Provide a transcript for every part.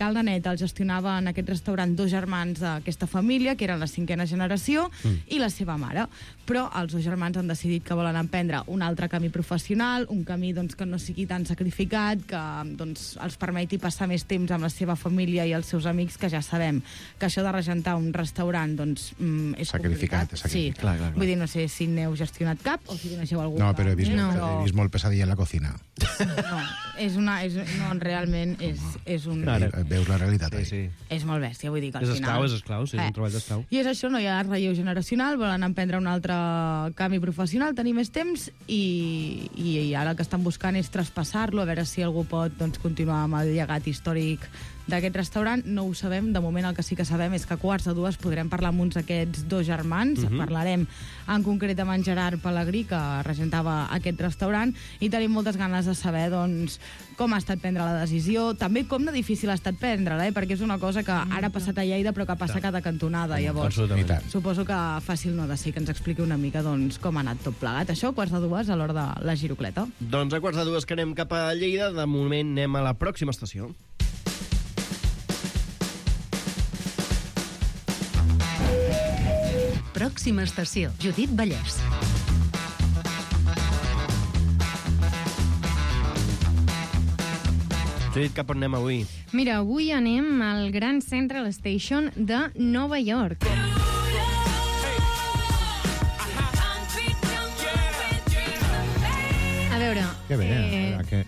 El nenet el gestionava en aquest restaurant 2 germans d'aquesta família, que eren la 5a generació, i la seva mare. Però els 2 germans han decidit que volen emprendre un altre camí professional, un camí doncs, que no sigui tan sacrificat, que doncs, els permeti passar més temps amb la seva família i els seus amics, que ja sabem que això de regentar un restaurant doncs, és sacrificat. Sí. Clar. Vull dir, no sé si n'heu gestionat cap o si coneixeu algú. No, però he vist molt pesadilla en la cocina. No, realment és un... Veus la realitat. Sí. És molt bèstia, vull dir que al final... És esclau, sí, és un treball d'esclau. I és això, no hi ha relleu generacional, volen emprendre un altre canvi professional, tenir més temps, i ara el que estan buscant és traspassar-lo, a veure si algú pot doncs, continuar amb el llegat històric d'aquest restaurant. No ho sabem, de moment el que sí que sabem és que a 1:45 podrem parlar amb uns d'aquests 2 germans, parlarem en concret amb en Gerard Pelegrí, que regentava aquest restaurant, i tenim moltes ganes de saber doncs, com ha estat prendre la decisió, també com de difícil ha estat prendre-la, perquè és una cosa que ara ha passat a Lleida però que passa a cada cantonada. Llavors, suposo que fàcil no ha de ser que ens expliqui una mica doncs, com ha anat tot plegat. Això a 1:45 a l'hora de la girocleta. Doncs a 1:45 que anem cap a Lleida, de moment anem a la pròxima estació. Pròxima estació, Judit Vallès. Judit, cap on anem avui? Mira, avui anem al Grand Central Station de Nova York. A veure... Que bé,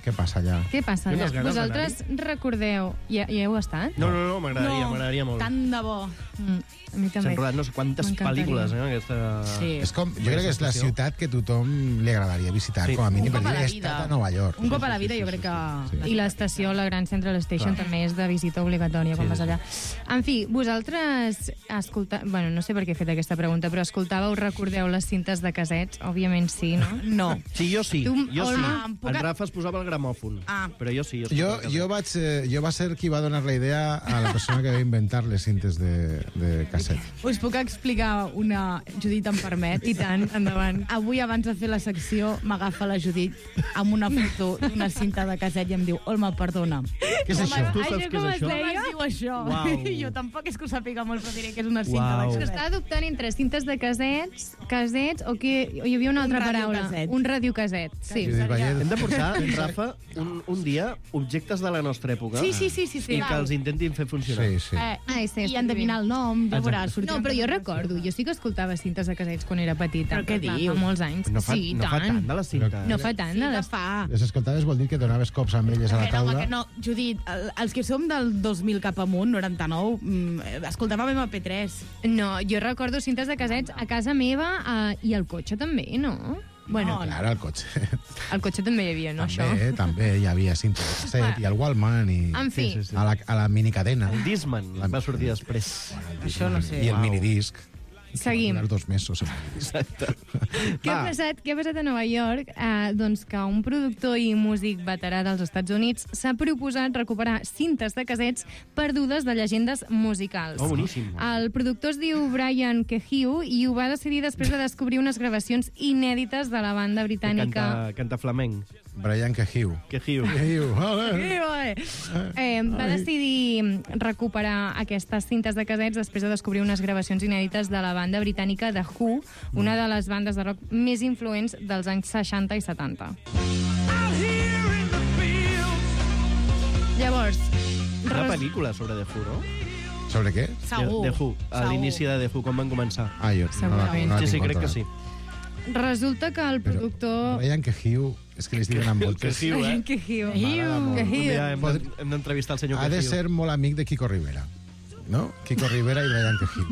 què passa allà? Què passa allà? Vosaltres recordeu... Ja hi heu estat? No, m'agradaria molt. Tant de bo. A mi també. S'han rodat no sé quantes pel·lícules, aquesta... Sí. És com, jo crec que és la ciutat que a tothom li agradaria visitar, com a mínim, perquè he estat a Nova York. Un cop a la vida, jo crec que... Sí. I l'estació, la Grand Central Station, també és de visita obligatòria quan vas allà. En fi, vosaltres bueno, no sé per què he fet aquesta pregunta, però escoltàveu, recordeu les cintes de cassets? Òbviament sí, no? No. Sí, jo sí. Jo sí. En Rafa es posava el gramòfon. Però jo sí. Jo va ser qui va donar la idea a la persona que va inventar les cintes de casset. Us puc explicar una... Judit em permet? I tant, endavant. Avui, abans de fer la secció, m'agafa la Judit amb una foto d'una cinta de casset i em diu: Olma, perdona. Què és això? Tu saps què és això? Com es diu això? Uau. Jo tampoc és que ho sàpiga molt, però diré que és una cinta de És que casset. està adoptant entre cintes de cassets o que hi havia una altra paraula. Un radiocasset. Sí. Hem de portar, Rafa, un dia objectes de la nostra època Sí. i que els intentin fer funcionar. Sí. I endevinar el nom, ja veuràs. No, però jo recordo, jo sí que escoltava cintes de cassets quan era petita. Però què dius? Fa molts anys. No fa tant de les cintes. No fa tant de les... Les escoltaves vol dir que donaves cops amb elles a la taula? No, Judit, els que som del 2000 cap amunt, 99, escoltàvem MP3. No, jo recordo cintes de cassets a casa meva i al cotxe també, no? Bueno, Clar, al cotxe. al cotxe també hi havia, no, això? També hi havia cintes de casset i el Walkman i En fi. a la minicadena. El Discman va sortir després. Això no sé. I el minidisc. Seguim. Els 2 mesos. Què ha passat a Nova York? Doncs que un productor i músic veterà dels Estats Units s'ha proposat recuperar cintes de cassets perdudes de llegendes musicals. Oh, boníssim. El productor es diu Brian Kehoe i ho va decidir després de descobrir unes gravacions inèdites de la banda britànica. Canta flamenc. Brian Kehoe. Va decidir recuperar aquestes cintes de cassets després de descobrir unes gravacions inèdites de la banda britànica The Who, una de les bandes de rock més influents dels anys 60 i 70. Llavors... Una pel·lícula sobre The Who, no? Sobre què? Segur. The Who, a l'inici de The Who, com van començar. Jo Segurament. Sí, crec que sí. Resulta que el productor... Brian Kehoe, és que li estic donant moltes. Kehoe. Hem d'entrevistar el senyor Ha Kehoe. de ser molt amic de Kiko Rivera, no? Kiko Rivera i Brian Kehoe.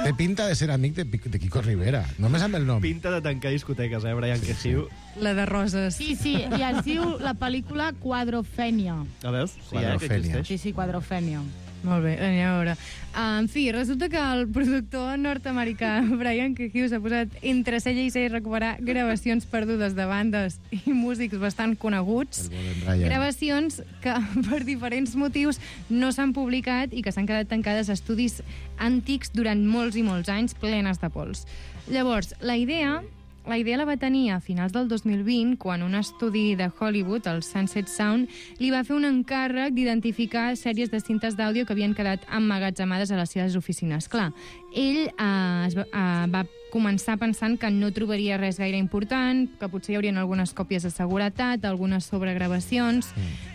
Té pinta de ser amic de Kiko Rivera, només amb el nom. Pinta de tancar discoteques, Brian Kehoe. La de Roses. Sí, i es diu la pel·lícula Quadrophenia. A veus? Sí, que Quadrophenia. existeix. Sí, Quadrophenia. Molt bé, anem a veure. En fi, resulta que el productor nord-americà Brian Kehoe s'ha posat entre cella i cella recuperar gravacions perdudes de bandes i músics bastant coneguts. Gravacions que, per diferents motius, no s'han publicat i que s'han quedat tancades a estudis antics durant molts i molts anys, plenes de pols. Llavors, la idea la idea la va tenir a finals del 2020, quan un estudi de Hollywood, el Sunset Sound, li va fer un encàrrec d'identificar sèries de cintes d'àudio que havien quedat emmagatzemades a les seves oficines. Clar, ell va començar pensant que no trobaria res gaire important, que potser hi haurien algunes còpies de seguretat, algunes sobregravacions,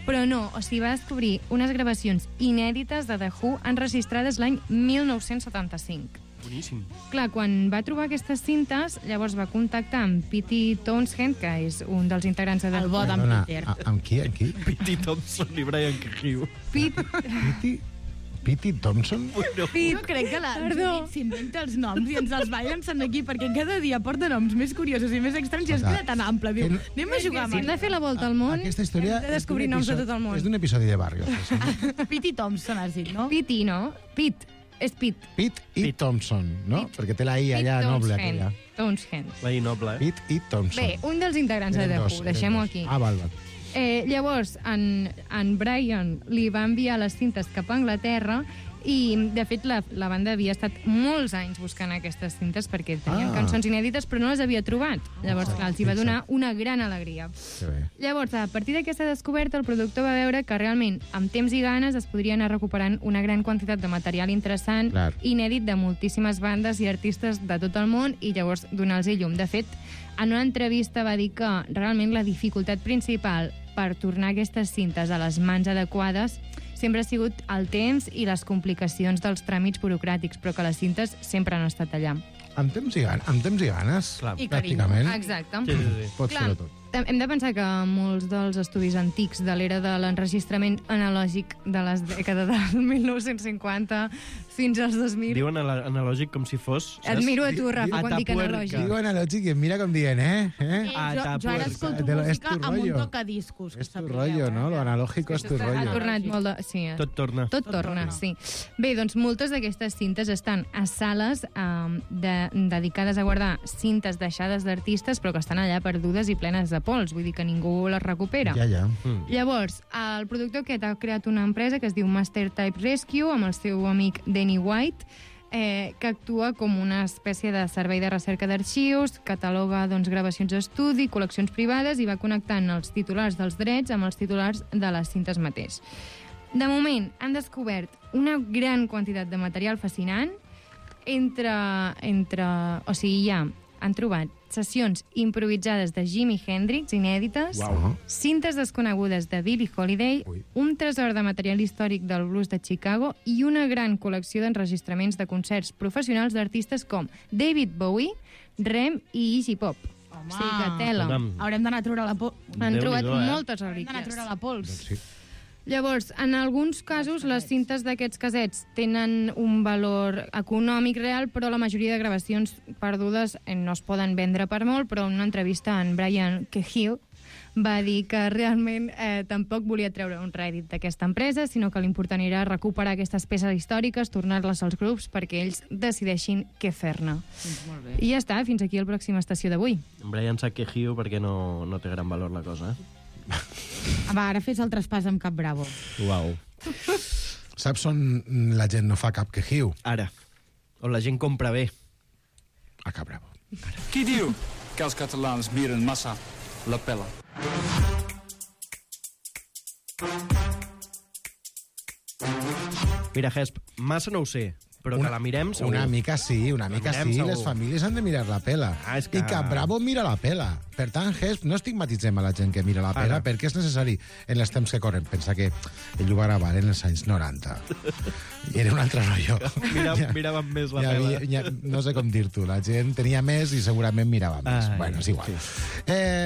però no, o sigui, va descobrir unes gravacions inèdites de The Who enregistrades l'any 1975. Boníssim. Clar, quan va trobar aquestes cintes, llavors va contactar amb Pete Townshend, que és un dels integrants de The El bo Who. d'en Peter. Amb qui? Amb qui? Pete Thompson i Brian Cahill. Pete Thompson? Jo crec que la Perdó. s'inventa els noms i ens els va llançant aquí, perquè cada dia porta noms més curiosos i més estranys i es queda tan ample. Diu, anem a jugar amb Hem de fer la volta al món, Aquesta història hem de descobrir noms de tot el món. és d'un episodi de Barrio. Pete Thompson, has dit, no? Pete, no? Pete. És Pete. Pete i Thompson, no? Perquè té la I allà noble aquella. Townshend. La I noble, Pete i Thompson. Bé, un dels integrants de The Who, deixem-ho aquí. Ah, val. Llavors, en Brian li va enviar les cintes cap a Anglaterra i, de fet, la banda havia estat molts anys buscant aquestes cintes perquè tenien cançons inèdites, però no les havia trobat. Llavors, clar, els hi va donar una gran alegria. Que bé. Llavors, a partir d'aquesta descoberta, el productor va veure que realment, amb temps i ganes, es podria anar recuperant una gran quantitat de material interessant, Clar. inèdit de moltíssimes bandes i artistes de tot el món, i llavors donar-los llum. De fet, en una entrevista va dir que realment la dificultat principal per tornar aquestes cintes a les mans adequades sempre ha sigut el temps i les complicacions dels tràmits burocràtics, però que les cintes sempre han estat allà. Amb temps i ganes, Clar. I carinyo. pràcticament, Exacte. Sí. pot Clar, fer-ho tot. hem de pensar que molts dels estudis antics de l'era de l'enregistrament analògic de les dècades del 1950 fins als 2000... Diuen analògic com si fos... Et miro a tu, Rafa, quan dic Atapuerca. analògic. Digo analògic i em mira com dient, Jo ara escolto De lo- és música tu amb un rollo. tocadiscos. que És tu sapigueu, rollo, no? Lo analógico és tu Ha rollo. tornat molt de... Sí, Tot torna. Tot torna, sí. Bé, doncs moltes d'aquestes cintes estan a sales dedicades a guardar cintes deixades d'artistes, però que estan allà perdudes i plenes de pols, vull dir que ningú les recupera. Ja. Llavors, el productor aquest ha creat una empresa que es diu Master Type Rescue, amb el seu amic Danny White, que actua com una espècie de servei de recerca d'arxius, cataloga gravacions d'estudi, col·leccions privades i va connectant els titulars dels drets amb els titulars de les cintes mateix. De moment, han descobert una gran quantitat de material fascinant o sigui, ja han trobat sessions improvisades de Jimi Hendrix, inèdites, cintes desconegudes de Billie Holiday, un tresor de material històric del blues de Chicago i una gran col·lecció d'enregistraments de concerts professionals d'artistes com David Bowie, Rem i Iggy Pop. Home. O sigui que tela. Haurem d'anar a treure la pols. Han trobat Déu-n'hi-do, moltes Haurem d'anar a relíquies. treure la pols. Sí. Llavors, en alguns casos, les cintes d'aquests casets tenen un valor econòmic real, però la majoria de gravacions perdudes no es poden vendre per molt, però en una entrevista en Brian Cahill va dir que realment tampoc volia treure un rèdit d'aquesta empresa, sinó que l'important era recuperar aquestes peces històriques, tornar-les als grups perquè ells decideixin què fer-ne. Molt bé. I ja està, fins aquí el pròxim estació d'avui. Brian sap que Hugh perquè no té gran valor la cosa, Va, ara fes el traspàs amb Cap Bravo. Uau. Saps on la gent no fa cap quejiu? Ara, on la gent compra bé. A Cap Bravo. Qui diu que els catalans miren massa la pela? Mira, Gesp, massa no ho sé, però que la mirem segur. Una mica sí, mirem segur. Les famílies han de mirar la pela. Ah, és que- I Cap Bravo mira la pela. Per tant, Gesp, no estigmatitzem a la gent que mira la pela, Ara. perquè és necessari en els temps que corren. Pensa que ell ho va gravar en els anys 90. I era un altre rotllo. Miràvem més la Hi pela. havia, no sé com dir-t'ho, la gent tenia més i segurament mirava més. Ai, Bueno, és igual.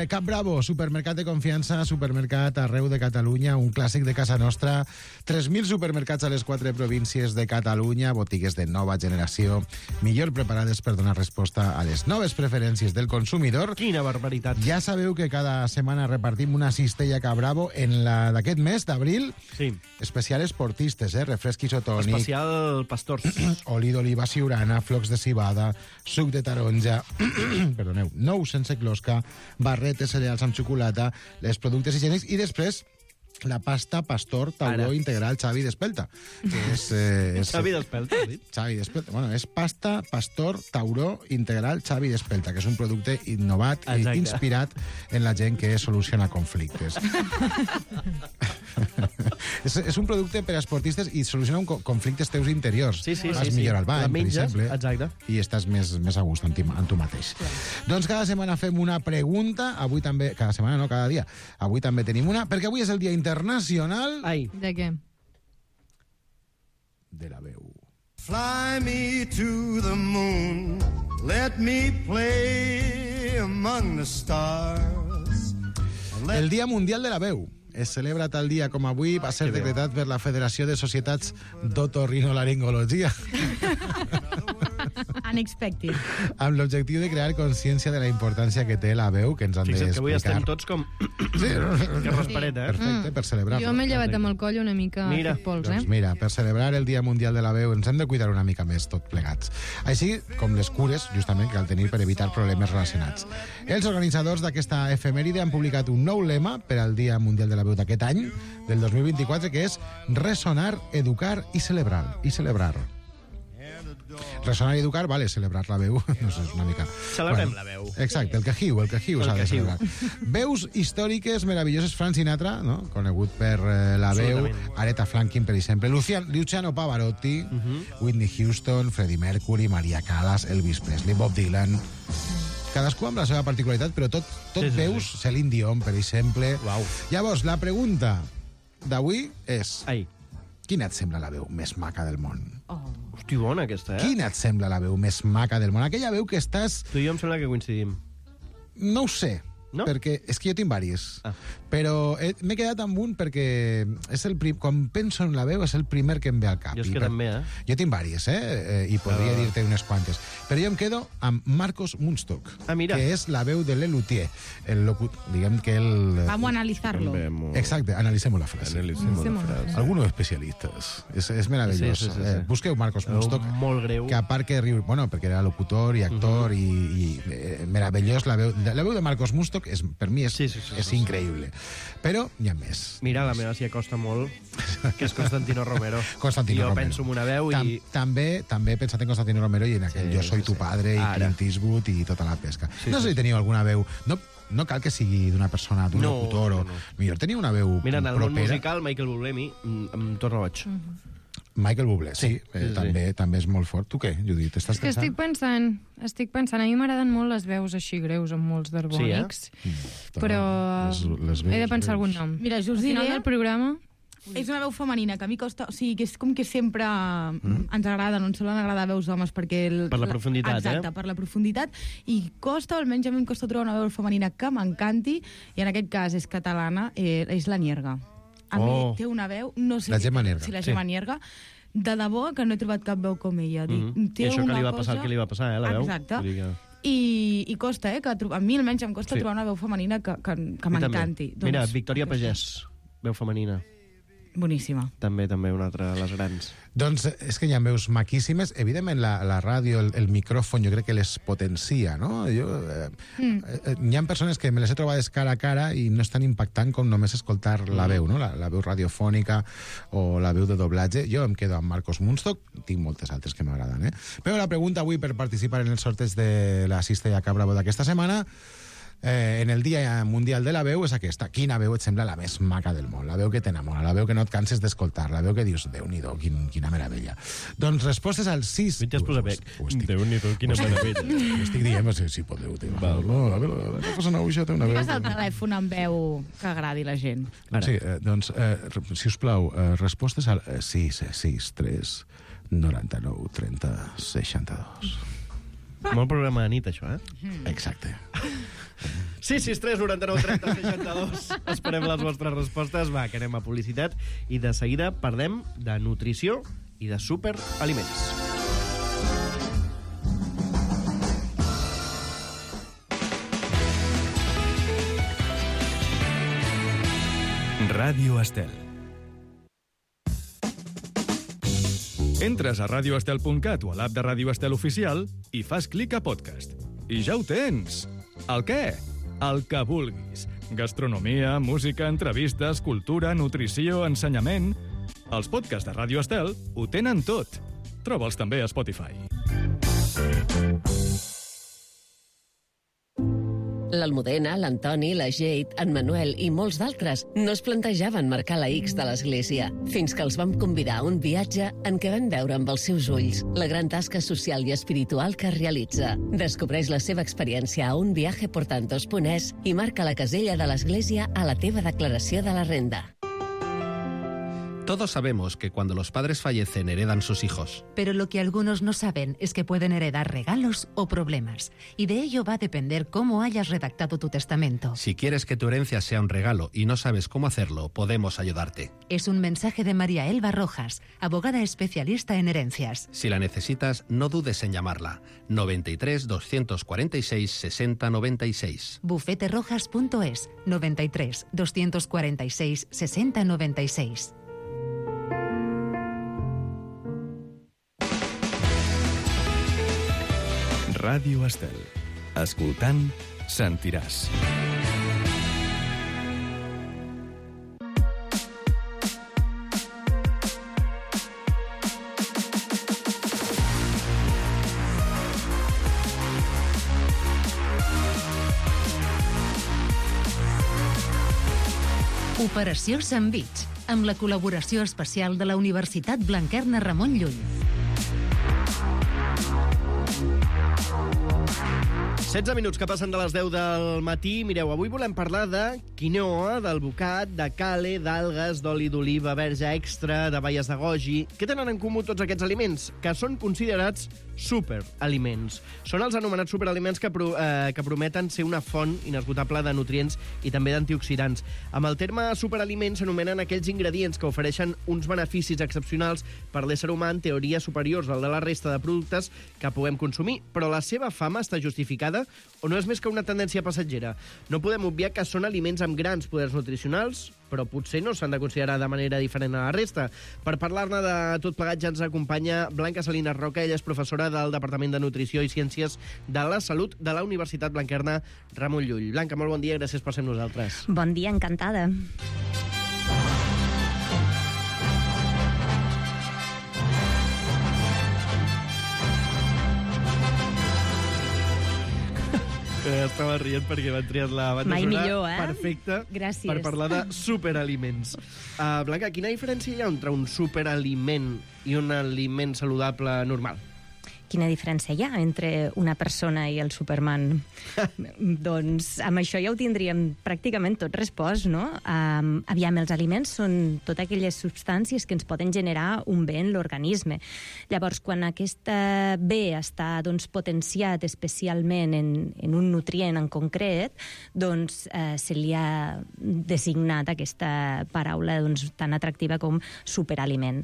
Cap Bravo, supermercat de confiança, supermercat arreu de Catalunya, un clàssic de casa nostra, 3.000 supermercats a les 4 províncies de Catalunya, botigues de nova generació, millor preparades per donar resposta a les noves preferències del consumidor. Quina barbaritat. Ja sabeu que cada setmana repartim una cistella Cap Bravo en la d'aquest mes d'abril, Sí. especial esportistes, refresc isotònic, Especial pastors. oli d'oliva siurana, flocs de cibada, suc de taronja, perdoneu, nous sense closca, barretes, cereals amb xocolata, els productes higiènics i després la pasta pastor tauró Ara. integral Xavi d'Espelta. Que és, Xavi d'Espelta, has dit? Xavi d'Espelta. Bueno, és pasta pastor tauró integral Xavi d'Espelta, que és un producte innovat i Exacte. inspirat en la gent que soluciona conflictes. és un producte per a esportistes i soluciona conflictes teus interiors. Sí, sí, Vas sí, millor sí. al bany, La per menges, exemple, exacte. i estàs més a gust amb tu mateix. Doncs cada setmana fem una pregunta, avui també, cada setmana no, cada dia. Avui també tenim una, perquè avui és el Dia Internacional Ai, De què? de la veu. Fly me to the moon, let me play among the stars. El Dia Mundial de la Veu. Es celebra tal dia com avui, va ser decretat per la Federació de Societats d'Otorrinolaringologia, Unexpected. amb l'objectiu de crear consciència de la importància que té la veu, que ens han fixa't que avui d'explicar. estem tots com... Sí, Que raspareta, eh? perfecte, per celebrar-lo. Jo m'he llevat amb el coll una mica Mira, fet pols, Doncs mira, per celebrar el Dia Mundial de la Veu ens hem de cuidar una mica més tot plegats. Així com les cures, justament, que cal tenir per evitar problemes relacionats. Els organitzadors d'aquesta efemèride han publicat un nou lema per al Dia Mundial de la Veu d'aquest any, del 2024, que és resonar, educar i celebrar. Resonar i educar, vale, celebrar la veu, no sé, és una mica... Celebrem la veu. Exacte, el que hiu s'ha de celebrar. Veus històriques meravelloses, Frank Sinatra, no? Conegut per la veu, Absolutament. Aretha Franklin, per exemple, Luciano Pavarotti, Whitney Houston, Freddie Mercury, Maria Callas, Elvis Presley, Bob Dylan... Cadascú amb la seva particularitat, però tot Sí. veus, Celine Dion, per exemple. Uau. Llavors, la pregunta d'avui és... Ai, Quina et sembla la veu més maca del món? hosti, bona aquesta, eh? Quina et sembla la veu més maca del món? Aquella veu que estàs... Tu i jo em sembla que coincidim. No ho sé, No? perquè és que jo tinc diversos. Ah. Però m'he quedat amb un perquè és quan penso en la veu és el primer que em ve al cap. Jo és I que també, eh? Jo tinc diversos, i podria dir-te unes quantes. Però jo em quedo amb Marcos Munstock, Ah, mira. que és la veu de Lelutier. Diguem que el... Vamos a analizarlo. Exacte, analicemos la frase. Algunos especialistas. És meravellós. Sí, sí, sí, sí. Busqueu Marcos Munstock, Molt greu. que a part que riu... Bueno, perquè era locutor i actor i meravellós. La veu de Marcos Munstock per mi és increïble. Però hi ha més. Mira, la meva s'hi acosta molt, que és Constantino Romero. Constantino jo Romero. penso en una veu i... També he pensat en Constantino Romero i en aquell Sí, Jo soy tu sí. padre i Ara. Clint Eastwood i tota la pesca. Sí, No sé sí, si teniu alguna veu... No cal que sigui d'una persona, d'un No, locutor, o... no. Millor tenia una veu Mira, en el món propera. musical, Michael Bublé, em torna boig. Michael Bublé, sí, sí. també és molt fort. Tu què, Judit? Estàs És que estic pensant, a mi m'agraden molt les veus així greus amb molts d'harmònics, però he de pensar algun nom. Mira, jo us Al final diré... del programa... És una veu femenina, que a mi costa... O sigui, que és com que sempre ens agrada, no ens solen agradar veus d'homes perquè... Per la profunditat, Exacte, per la profunditat. I costa, almenys a mi em costa trobar una veu femenina que m'encanti, i en aquest cas és catalana, és la Nierga. A mi té una veu... No sé La Gemma Nierga. Sí, la Gemma Nierga. De debò que no he trobat cap veu com ella. I això que li va passar el que li va passar, la veu? Exacte. Vull dir que... I costa, que a mi almenys em costa trobar una veu femenina que m'encanti. Mira, Victòria Pagès, veu femenina. Boníssima. També una altra de les grans. Doncs és que hi ha veus maquíssimes. Evidentment, la ràdio, el micròfon, jo crec que les potencia, no? Hi ha persones que me les he trobades cara a cara i no és tan impactant com només escoltar la veu, no? La veu radiofònica o la veu de doblatge. Jo em quedo amb Marcos Munstock, tinc moltes altres que m'agraden, Però la pregunta avui per participar en el sorteig de la Cistella Cabravo d'aquesta setmana, en el Dia Mundial de la Veu, és aquesta. Quina veu et sembla la més maca del món? La veu que t'enamora, la veu que no et canses d'escoltar, la veu que dius, Déu-n'hi-do, quina meravella. Doncs respostes al 6... Ja es posa bec. Déu-n'hi-do, quina meravella. Ho estic dient, si podeu. No, la cosa nauixa té una veu... Fes el telèfon amb veu que agradi la gent. Sí, doncs, si us plau, respostes al 663 99 30 62. Molt programa de nit, això, Exacte. 663 99 30 62. Esperem les vostres respostes. Va, que anem a publicitat. I de seguida parlem de nutrició i de superaliments. Ràdio Estel. Entres a radioestel.cat o a l'app de Ràdio Estel Oficial i fas clic a podcast. I ja ho tens. El què? El que vulguis. Gastronomia, música, entrevistes, cultura, nutrició, ensenyament... Els podcasts de Ràdio Estel ho tenen tot. Troba'ls també a Spotify. L'Almudena, l'Antoni, la Jade, en Manuel i molts d'altres no es plantejaven marcar la X de l'església, fins que els vam convidar a un viatge en què van veure amb els seus ulls la gran tasca social i espiritual que realitza. Descobreix la seva experiència a unviajeportantos.es i marca la casella de l'església a la teva declaració de la renda. Todos sabemos que cuando los padres fallecen heredan sus hijos. Pero lo que algunos no saben es que pueden heredar regalos o problemas. Y de ello va a depender cómo hayas redactado tu testamento. Si quieres que tu herencia sea un regalo y no sabes cómo hacerlo, podemos ayudarte. Es un mensaje de María Elba Rojas, abogada especialista en herencias. Si la necesitas, no dudes en llamarla. 93 246 60 96. Bufeterojas.es 93 246 60 96. Ràdio Estel. Escoltant, sentiràs. Operació Sandvich, amb la col·laboració especial de la Universitat Blanquerna Ramon Llull. 16 minuts que passen de les 10 del matí. Mireu, avui volem parlar de quinoa, del bocat, de cale, d'algues, d'oli d'oliva, verge extra, de baies de goji. Què tenen en comú tots aquests aliments? Que són considerats superaliments. Són els anomenats superaliments que prometen ser una font inesgotable de nutrients i també d'antioxidants. Amb el terme superaliments s'anomenen aquells ingredients que ofereixen uns beneficis excepcionals per l'ésser humà en teoria superiors al de la resta de productes que puguem consumir, però la seva fama està justificada o no és més que una tendència passatgera? No podem obviar que són aliments amb grans poders nutricionals, però potser no s'han de considerar de manera diferent a la resta. Per parlar-ne de tot plegat ja ens acompanya Blanca Salinas Roca. Ella és professora del Departament de Nutrició i Ciències de la Salut de la Universitat Blanquerna Ramon Llull. Blanca, molt bon dia, gràcies per ser amb nosaltres. Bon dia, encantada. Estava rient perquè van triar la banda Mai sonora millor, perfecta. Gràcies. Per parlar de superaliments. Blanca, quina diferència hi ha entre un superaliment i un aliment saludable normal? Quina diferència hi ha entre una persona i el Superman? Doncs amb això ja ho tindríem pràcticament tot respost, no? Aviam, els aliments són totes aquelles substàncies que ens poden generar un bé en l'organisme. Llavors, quan aquest bé està potenciat especialment en un nutrient en concret, doncs se li ha designat aquesta paraula tan atractiva com superaliment.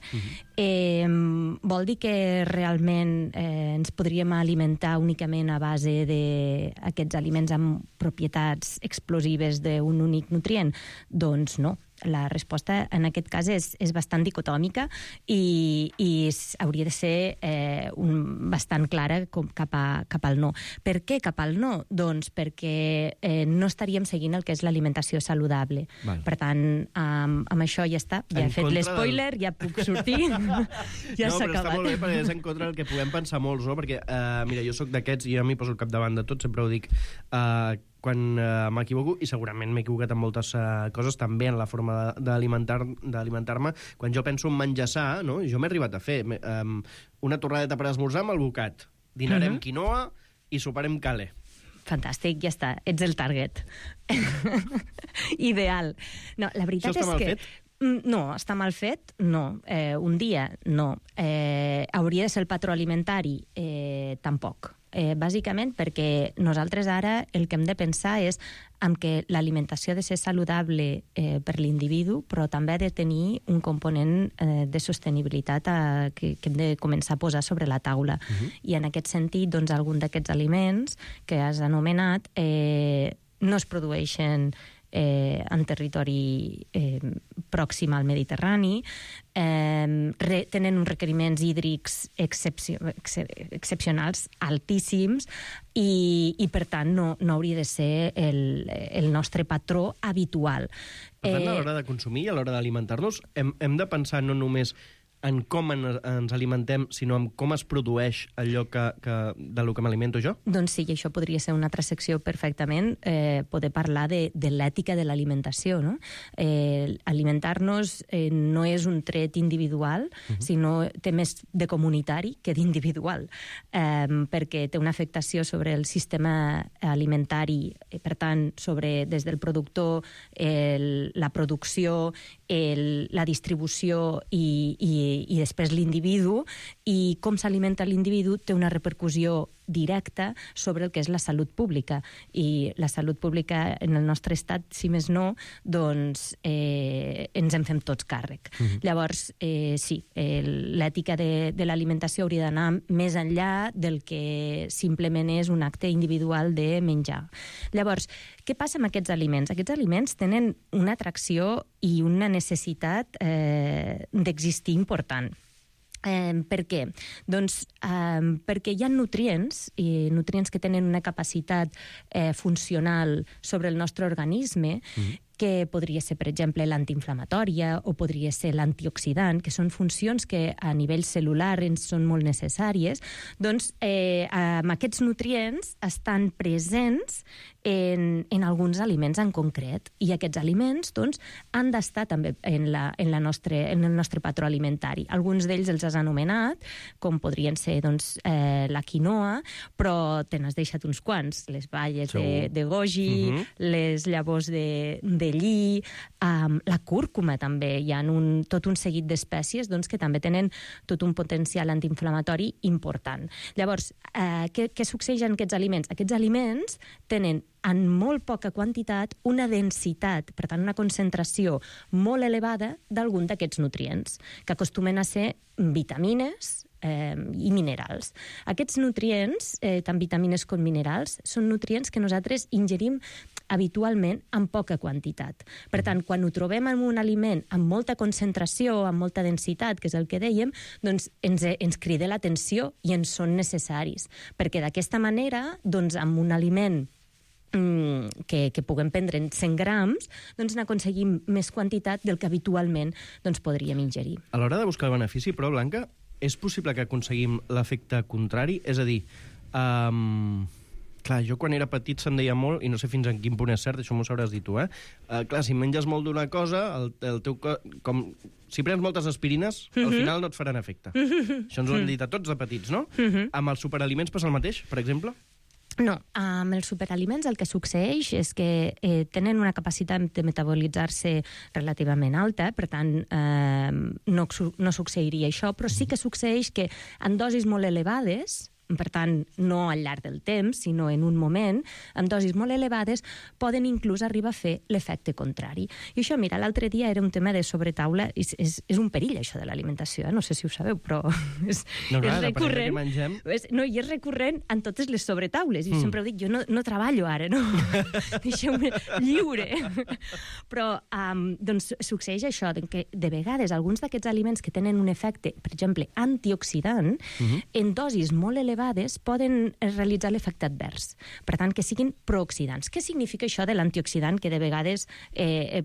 Vol dir que realment ens podríem alimentar únicament a base d'aquests aliments amb propietats explosives d'un únic nutrient? Doncs no. La resposta en aquest cas és bastant dicotòmica i hauria de ser bastant clara cap al no. Per què cap al no? Doncs perquè no estaríem seguint el que és l'alimentació saludable. Val. Per tant, amb això ja està. Ja he fet l'espoiler, ja puc sortir. Ja s'ha acabat. No, però està molt bé perquè és en contra del que puguem pensar molts, no? Perquè, mira, jo sóc d'aquests i jo m'hi poso al capdavant de tot, sempre ho dic, quan m'equivoco, i segurament m'he equivocat en moltes coses, també en la forma d'alimentar-me. Quan jo penso en menjar sa, no? Jo m'he arribat a fer una torradeta per esmorzar amb el bocat. Dinarem quinoa i soparem cale. Fantàstic, ja està. Ets el target. Ideal. No, la veritat és que... Això està mal fet? No, està mal fet? No. Un dia, no. Hauria de ser el patró alimentari? Tampoc. Bàsicament perquè nosaltres ara el que hem de pensar és en que l'alimentació ha de ser saludable per l'individu, però també ha de tenir un component de sostenibilitat que hem de començar a posar sobre la taula. I en aquest sentit, doncs, algun d'aquests aliments que has anomenat no es produeixen en territori pròxim al Mediterrani, tenen uns requeriments hídrics excepcionals, altíssims, i per tant no hauria de ser el nostre patró habitual. Per tant, a l'hora de consumir i a l'hora d'alimentar-nos, hem de pensar no només en com ens alimentem, sinó en com es produeix allò de lo que m'alimento jo? Doncs sí, i això podria ser una altra secció perfectament, poder parlar de l'ètica de l'alimentació, no? Alimentar-nos no és un tret individual, sinó té més de comunitari que d'individual, perquè té una afectació sobre el sistema alimentari, per tant, sobre des del productor, la producció, la distribució i després l'individu, i com s'alimenta l'individu té una repercussió directa sobre el que és la salut pública. I la salut pública en el nostre estat, si més no, doncs ens en fem tots càrrec. Llavors, sí, l'ètica de l'alimentació hauria d'anar més enllà del que simplement és un acte individual de menjar. Llavors, què passa amb aquests aliments? Aquests aliments tenen una atracció i una necessitat d'existir important. Per què? Doncs perquè hi ha nutrients que tenen una capacitat funcional sobre el nostre organisme, que podria ser, per exemple, l'antiinflamatòria o podria ser l'antioxidant, que són funcions que a nivell cel·lular ens són molt necessàries. Doncs amb aquests nutrients estan presents en alguns aliments en concret, i aquests aliments doncs, han d'estar també en el nostre patró alimentari. Alguns d'ells els has anomenat, com podrien ser doncs, la quinoa, però te n'has deixat uns quants, les baies de goji, les llavors de lli, la cúrcuma també. Hi ha tot un seguit d'espècies doncs, que també tenen tot un potencial antiinflamatori important. Llavors, què succeeix en aquests aliments? Aquests aliments tenen en molt poca quantitat una densitat, per tant una concentració molt elevada d'algun d'aquests nutrients, que acostumen a ser vitamines i minerals. Aquests nutrients, tant vitamines com minerals, són nutrients que nosaltres ingerim habitualment en poca quantitat. Per tant, quan ho trobem en un aliment amb molta concentració, amb molta densitat, que és el que dèiem, doncs ens crida l'atenció i ens són necessaris. Perquè d'aquesta manera, doncs, amb un aliment que puguem prendre en 100 grams, doncs n'aconseguim més quantitat del que habitualment doncs, podríem ingerir. A l'hora de buscar el benefici, però, Blanca, és possible que aconseguim l'efecte contrari? És a dir, clar, jo quan era petit se'n deia molt, i no sé fins en quin punt és cert, això m'ho sabràs dir tu, clar, si menges molt d'una cosa, el teu cos, si prens moltes aspirines, al final no et faran efecte. Això ens ho han dit a tots de petits, no? Amb els superaliments passa el mateix, per exemple? No, amb els superaliments el que succeeix és que tenen una capacitat de metabolitzar-se relativament alta, per tant no succeiria això, però sí que succeeix que en dosis molt elevades, per tant, no al llarg del temps, sinó en un moment, amb dosis molt elevades, poden inclús arribar a fer l'efecte contrari. I això, mira, l'altre dia era un tema de sobretaula, és un perill, això de l'alimentació, no sé si ho sabeu, però és recurrent. No, i és recurrent en totes les sobretaules, i sempre ho dic, jo no treballo ara, no? Deixeu-me lliure. Però, doncs, succeeix això, que de vegades alguns d'aquests aliments que tenen un efecte, per exemple, antioxidant, en dosis molt elevades, poden realitzar l'efecte advers. Per tant, que siguin prooxidants. Què significa això de l'antioxidant que de vegades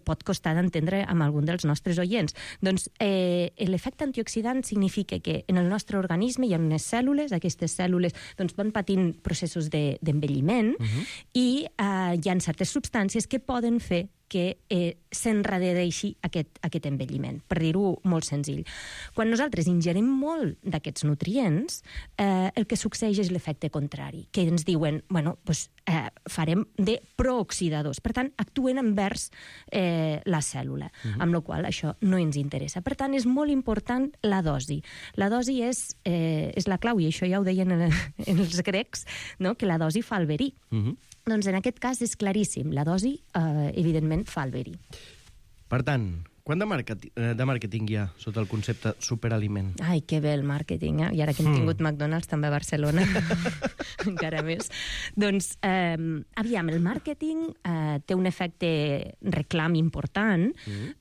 pot costar d'entendre amb algun dels nostres oients? Doncs l'efecte antioxidant significa que en el nostre organisme hi ha unes cèl·lules, aquestes cèl·lules doncs, van patint processos d'envelliment i hi ha certes substàncies que poden fer que s'enrareixi aquest envelliment, per dir-ho molt senzill. Quan nosaltres ingerim molt d'aquests nutrients, el que succeeix és l'efecte contrari, que ens diuen, bueno, doncs farem de prooxidadors, per tant, actuen envers la cèl·lula, amb la qual això no ens interessa. Per tant, és molt important la dosi. La dosi és la clau, i això ja ho deien els grecs, no? Que la dosi fa el verí. Doncs en aquest cas és claríssim, la dosi, evidentment, fa el verí. Per tant, Quant de màrqueting hi ha sota el concepte superaliment? Ai, que bé el màrqueting, I ara que hem tingut McDonald's també a Barcelona, encara més. Doncs, aviam, el màrqueting té un efecte reclam important,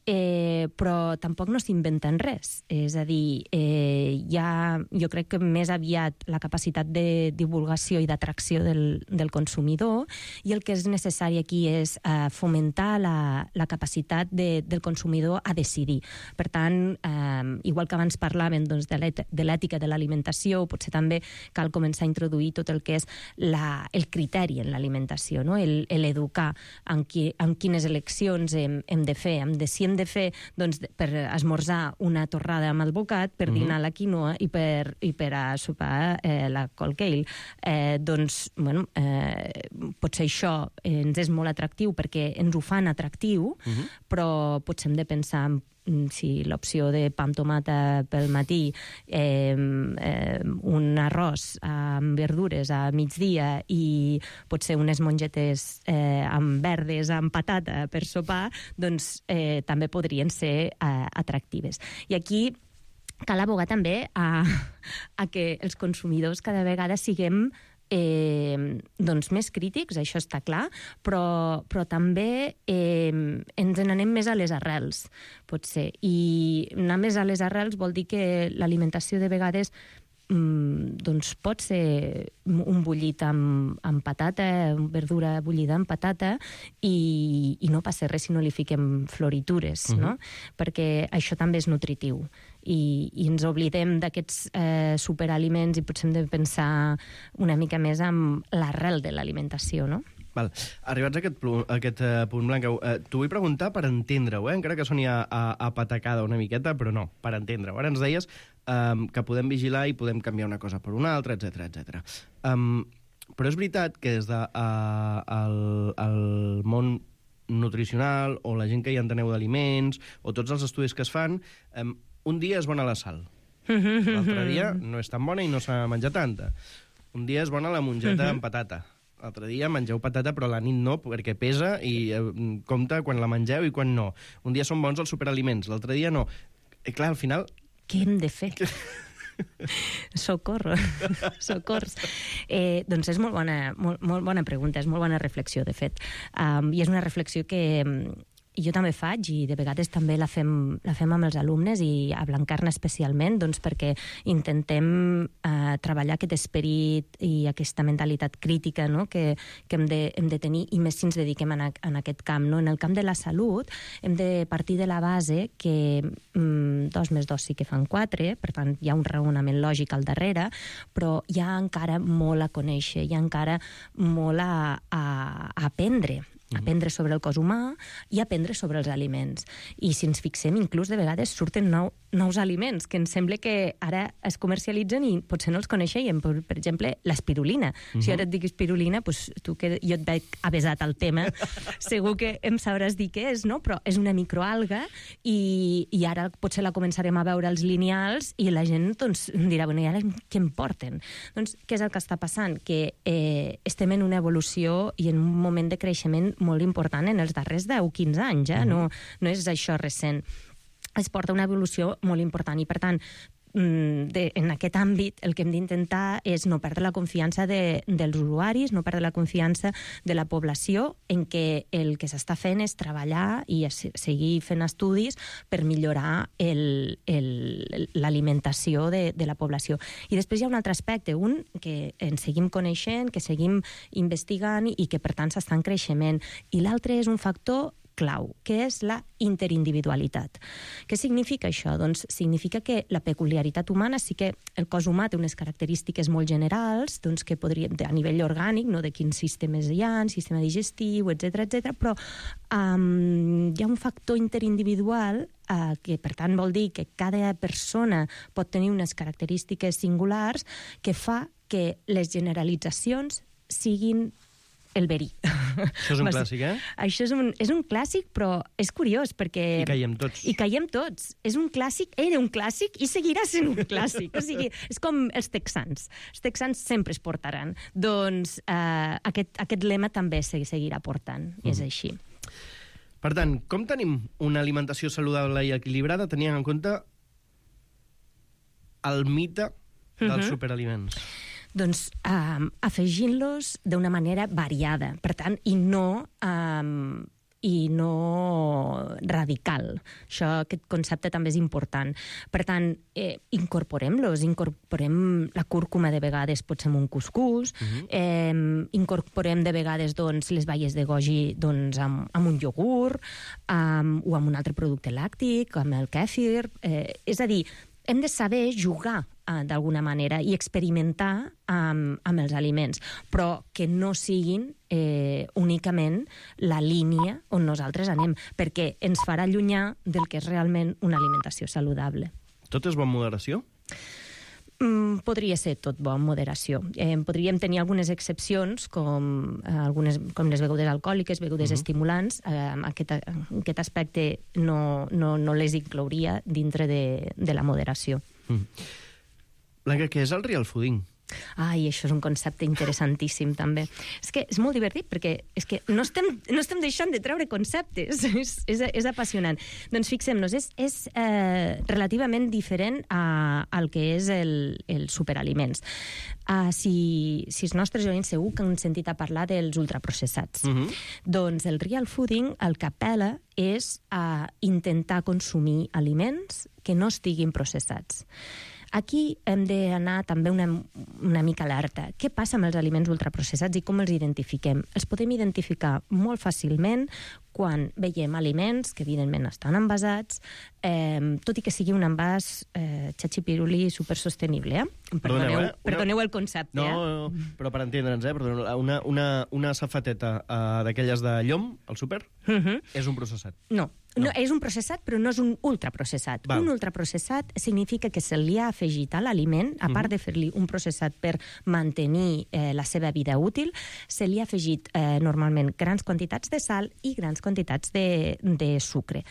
però tampoc no s'inventen res. És a dir, jo crec que més aviat la capacitat de divulgació i d'atracció del consumidor, i el que és necessari aquí és fomentar la capacitat del consumidor a decidir. Per tant, igual que abans parlàvem de l'ètica de l'alimentació, potser també cal començar a introduir tot el que és el criteri en l'alimentació, no? L'educar en quines eleccions hem de fer. Si hem de fer per esmorzar una torrada amb el bocat, per dinar la quinoa i per a sopar la col kale. Potser això ens és molt atractiu perquè ens ho fan atractiu, però potser hem de pensar si l'opció de pa amb tomata pel matí, un arròs amb verdures a migdia i potser unes mongetes amb verdes, amb patata per sopar, doncs també podrien ser atractives. I aquí cal abogar també a que els consumidors cada vegada siguem més crítics, això està clar, però també ens n'anem més a les arrels, potser. I anar més a les arrels vol dir que l'alimentació de vegades pot ser un bullit amb patata, verdura bullida amb patata, i no passa res si no li fiquem floritures, no? Perquè això també és nutritiu. I ens oblidem d'aquests superaliments i potser hem de pensar una mica més en l'arrel de l'alimentació, no? Val. Arribats a aquest punt, Blanca, t'ho vull preguntar per entendre-ho, encara que soni a patacada una miqueta, però no, per entendre-ho. Ara ens deies que podem vigilar i podem canviar una cosa per una altra, etc. Però és veritat que des del món nutricional o la gent que hi enteneu d'aliments o tots els estudis que es fan, un dia és bona la sal. L'altre dia no és tan bona i no s'ha de menjar tanta. Un dia és bona la mongeta amb patata. L'altre dia mengeu patata, però a la nit no, perquè pesa i compta quan la mengeu i quan no. Un dia són bons els superaliments, l'altre dia no. I clar, al final... Què hem de fer? Socors. Doncs és molt bona pregunta, és molt bona reflexió, de fet. I és una reflexió que jo també faig, i de vegades també la fem amb els alumnes, i a Blancarna especialment, doncs perquè intentem treballar aquest esperit i aquesta mentalitat crítica, no? que hem de tenir, i més si ens dediquem en aquest camp. No? En el camp de la salut hem de partir de la base que 2 més 2 sí que fan 4, per tant hi ha un raonament lògic al darrere, però hi ha encara molt a conèixer, hi ha encara molt a aprendre. Aprendre sobre el cos humà i aprendre sobre els aliments. I si ens fixem, inclús de vegades surten nous aliments que ens sembla que ara es comercialitzen i potser no els coneixem. Per exemple, l'espirulina. Si ara et dic espirulina, doncs tu que jo et veig avesat al tema, segur que em sabràs dir què és, no? Però és una microalga i ara potser la començarem a veure als lineals i la gent doncs, dirà, bueno, i ara què em porten? Doncs què és el que està passant? Que estem en una evolució i en un moment de creixement molt important en els darrers 10-15 anys, no és això recent. Es porta una evolució molt important i, per tant, en aquest àmbit el que hem d'intentar és no perdre la confiança dels usuaris, no perdre la confiança de la població, en què el que s'està fent és treballar i seguir fent estudis per millorar l'alimentació de la població. I després hi ha un altre aspecte, un que ens seguim coneixent, que seguim investigant i que per tant s'està en creixement, i l'altre és un factor clau, que és la interindividualitat. Què significa això? Doncs significa que la peculiaritat humana, sí que el cos humà té unes característiques molt generals, doncs que podríem, a nivell orgànic, no de quins sistemes hi ha, sistema digestiu, etc, però hi ha un factor interindividual que per tant vol dir que cada persona pot tenir unes característiques singulars que fa que les generalitzacions siguin el verí. Això és un clàssic, Això és un clàssic, però és curiós, perquè... I caiem tots. I caiem tots. És un clàssic, era un clàssic i seguirà sent un clàssic. O sigui, és com els texans. Els texans sempre es portaran. Doncs aquest lema també seguirà portant, i és així. Per tant, com tenim una alimentació saludable i equilibrada tenint en compte el mite dels superaliments? Doncs afegint-los d'una manera variada, per tant, i no radical. Aquest concepte també és important. Per tant, incorporem-los, incorporem la cúrcuma de vegades, potser amb un cuscús, incorporem de vegades doncs, les baies de goji doncs, amb un iogurt, o amb un altre producte làctic, amb el kèfir. És a dir, hem de saber jugar d'alguna manera i experimentar amb els aliments, però que no siguin únicament la línia on nosaltres anem, perquè ens farà allunyar del que és realment una alimentació saludable. Tot és bo en moderació? Podria ser tot bo en moderació. Podríem tenir algunes excepcions, com les begudes alcohòliques, begudes estimulants. Aquest aspecte no les inclouria dintre de la moderació. Blanca, què és el real fooding? Ai, això és un concepte interessantíssim, també. És que és molt divertit, perquè és que no estem deixant de treure conceptes. És apassionant. Doncs fixem-nos, és relativament diferent al que és el superaliments. Si els nostres oients segur que han sentit a parlar dels ultraprocessats. Doncs el real fooding el que apel·la és a intentar consumir aliments que no estiguin processats. Aquí hem d'anar també una mica alerta. Què passa amb els aliments ultraprocessats i com els identifiquem? Els podem identificar molt fàcilment quan veiem aliments que evidentment estan envasats, tot i que sigui un envàs xatxipiruli supersostenible. Perdoneu el concepte. No, però per entendre'ns, una safateta d'aquelles de llom, al súper, és un processat. No, és un processat, però no és un ultraprocessat. Un ultraprocessat significa que se li ha afegit a l'aliment, a part de fer-li un processat per mantenir la seva vida útil, se li ha afegit normalment grans quantitats de sal i grans quantitats de sucre.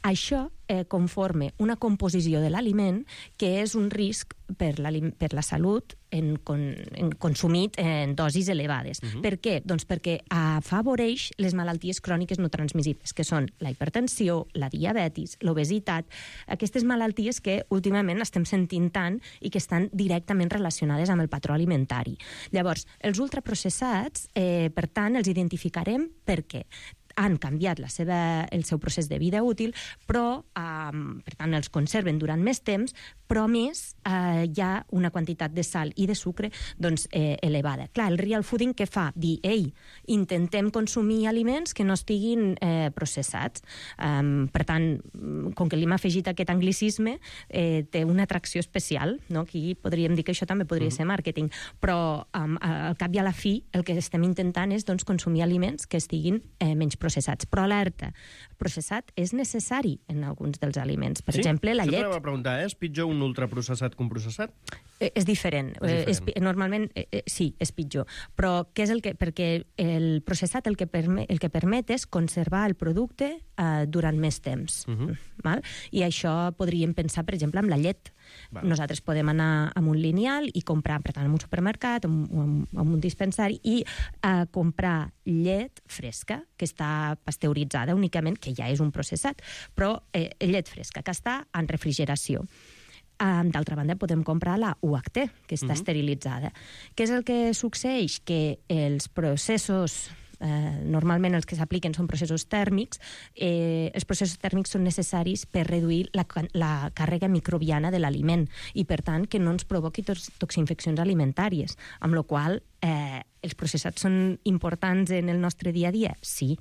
Això conforma una composició de l'aliment que és un risc per la salut consumit en dosis elevades. Per què? Doncs perquè afavoreix les malalties cròniques no transmissibles, que són la hipertensió, la diabetis, l'obesitat, aquestes malalties que últimament estem sentint tant i que estan directament relacionades amb el patró alimentari. Llavors, els ultraprocessats, per tant, els identificarem perquè han canviat el seu procés de vida útil, però, per tant, els conserven durant més temps, però a més hi ha una quantitat de sal i de sucre elevada. Clar, el real fooding què fa? Dir, intentem consumir aliments que no estiguin processats. Per tant, com que li hem afegit aquest anglicisme, té una atracció especial, no? Aquí podríem dir que això també podria ser màrqueting, però al cap i a la fi el que estem intentant és consumir aliments que estiguin menys processats. Però alerta, processat és necessari en alguns dels aliments. Per exemple, la llet. Sempre va preguntar, és pitjor un ultraprocessat que un processat? És diferent. Normalment, sí, és pitjor. Però què és el que... Perquè el processat el que permet és conservar el producte durant més temps. I això podríem pensar, per exemple, amb la llet. Nosaltres podem anar amb un lineal i comprar, per tant, en un supermercat, en un dispensari, i comprar llet fresca, que està pasteuritzada únicament, que ja és un processat, però llet fresca, que està en refrigeració. D'altra banda, podem comprar la UHT, que està esterilitzada. Què és el que succeeix? Que els processos... normalment els que s'apliquen són processos tèrmics. Els processos tèrmics són necessaris per reduir la càrrega microbiana de l'aliment i, per tant, que no ens provoqui toxinfeccions alimentàries, amb la qual cosa els processats són importants en el nostre dia a dia? Sí,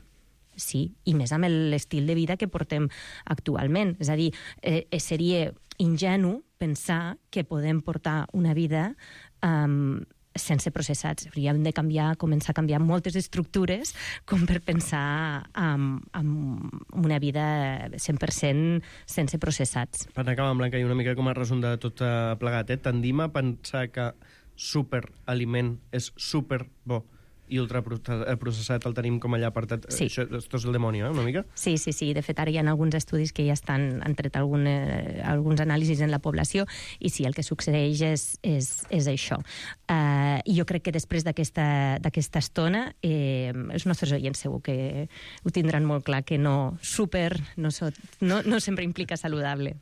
i més amb l'estil de vida que portem actualment. És a dir, seria ingenu pensar que podem portar una vida sense processats. Hauríem de començar a canviar moltes estructures com per pensar en una vida 100% sense processats. Per acabar, Blanca, i una mica com a resum de tot plegat, tendim a pensar que superaliment és super bo i ultraprocessat el tenim com allà apartat. Sí. Esto és el demonio, una mica? Sí. De fet, ara hi ha alguns estudis que ja han tret alguns anàlisis en la població i sí, el que succeeix és això. I jo crec que després d'aquesta estona els nostres oients segur que ho tindran molt clar, que no sempre implica saludable.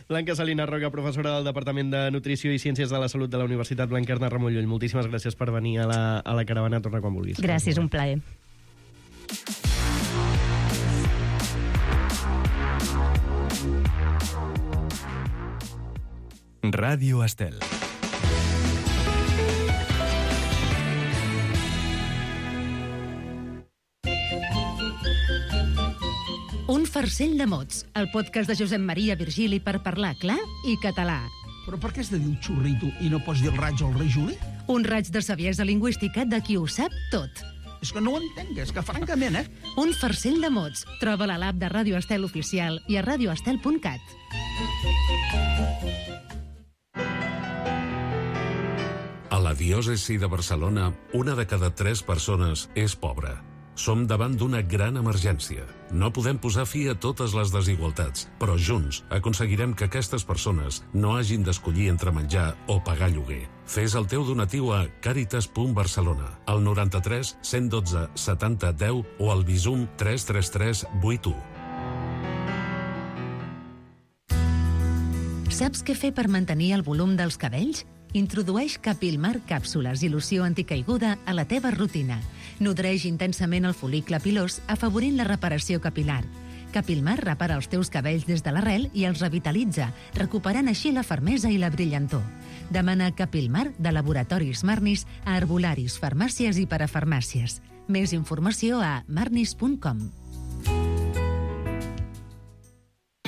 Blanca Salina Roca, professora del Departament de Nutrició i Ciències de la Salut de la Universitat Blanquerna Ramon Llull. Moltíssimes gràcies per venir a la caravana. Torna quan vulguis. Gràcies, un plaer. Ràdio Estel. Un farcell de mots, el podcast de Josep Maria Virgili per parlar clar i català. Però per què has de dir un xurrito i no pots dir el raig o el rei Juli? Un raig de saviesa lingüística de qui ho sap tot. És que no ho entenc, és que francament, Un farcell de mots. Troba-la a l'app de Ràdio Estel Oficial i a radioestel.cat. A la diòcesi de Barcelona, 1 de cada 3 persones és pobra. Som davant d'una gran emergència. No podem posar fi a totes les desigualtats, però junts aconseguirem que aquestes persones no hagin d'escollir entre menjar o pagar lloguer. Fes el teu donatiu a caritas.barcelona, al 93 112 70 10 o al Bizum 333 81. Saps què fer per mantenir el volum dels cabells? Introdueix Capilmar càpsules i loció anticaiguda a la teva rutina. Nodreix intensament el fol·licle pilós, afavorint la reparació capilar. Capilmar repara els teus cabells des de l'arrel i els revitalitza, recuperant així la fermesa i la brillantor. Demana Capilmar de Laboratoris Marnis a herbolaris, farmàcies i parafarmàcies. Més informació a marnis.com.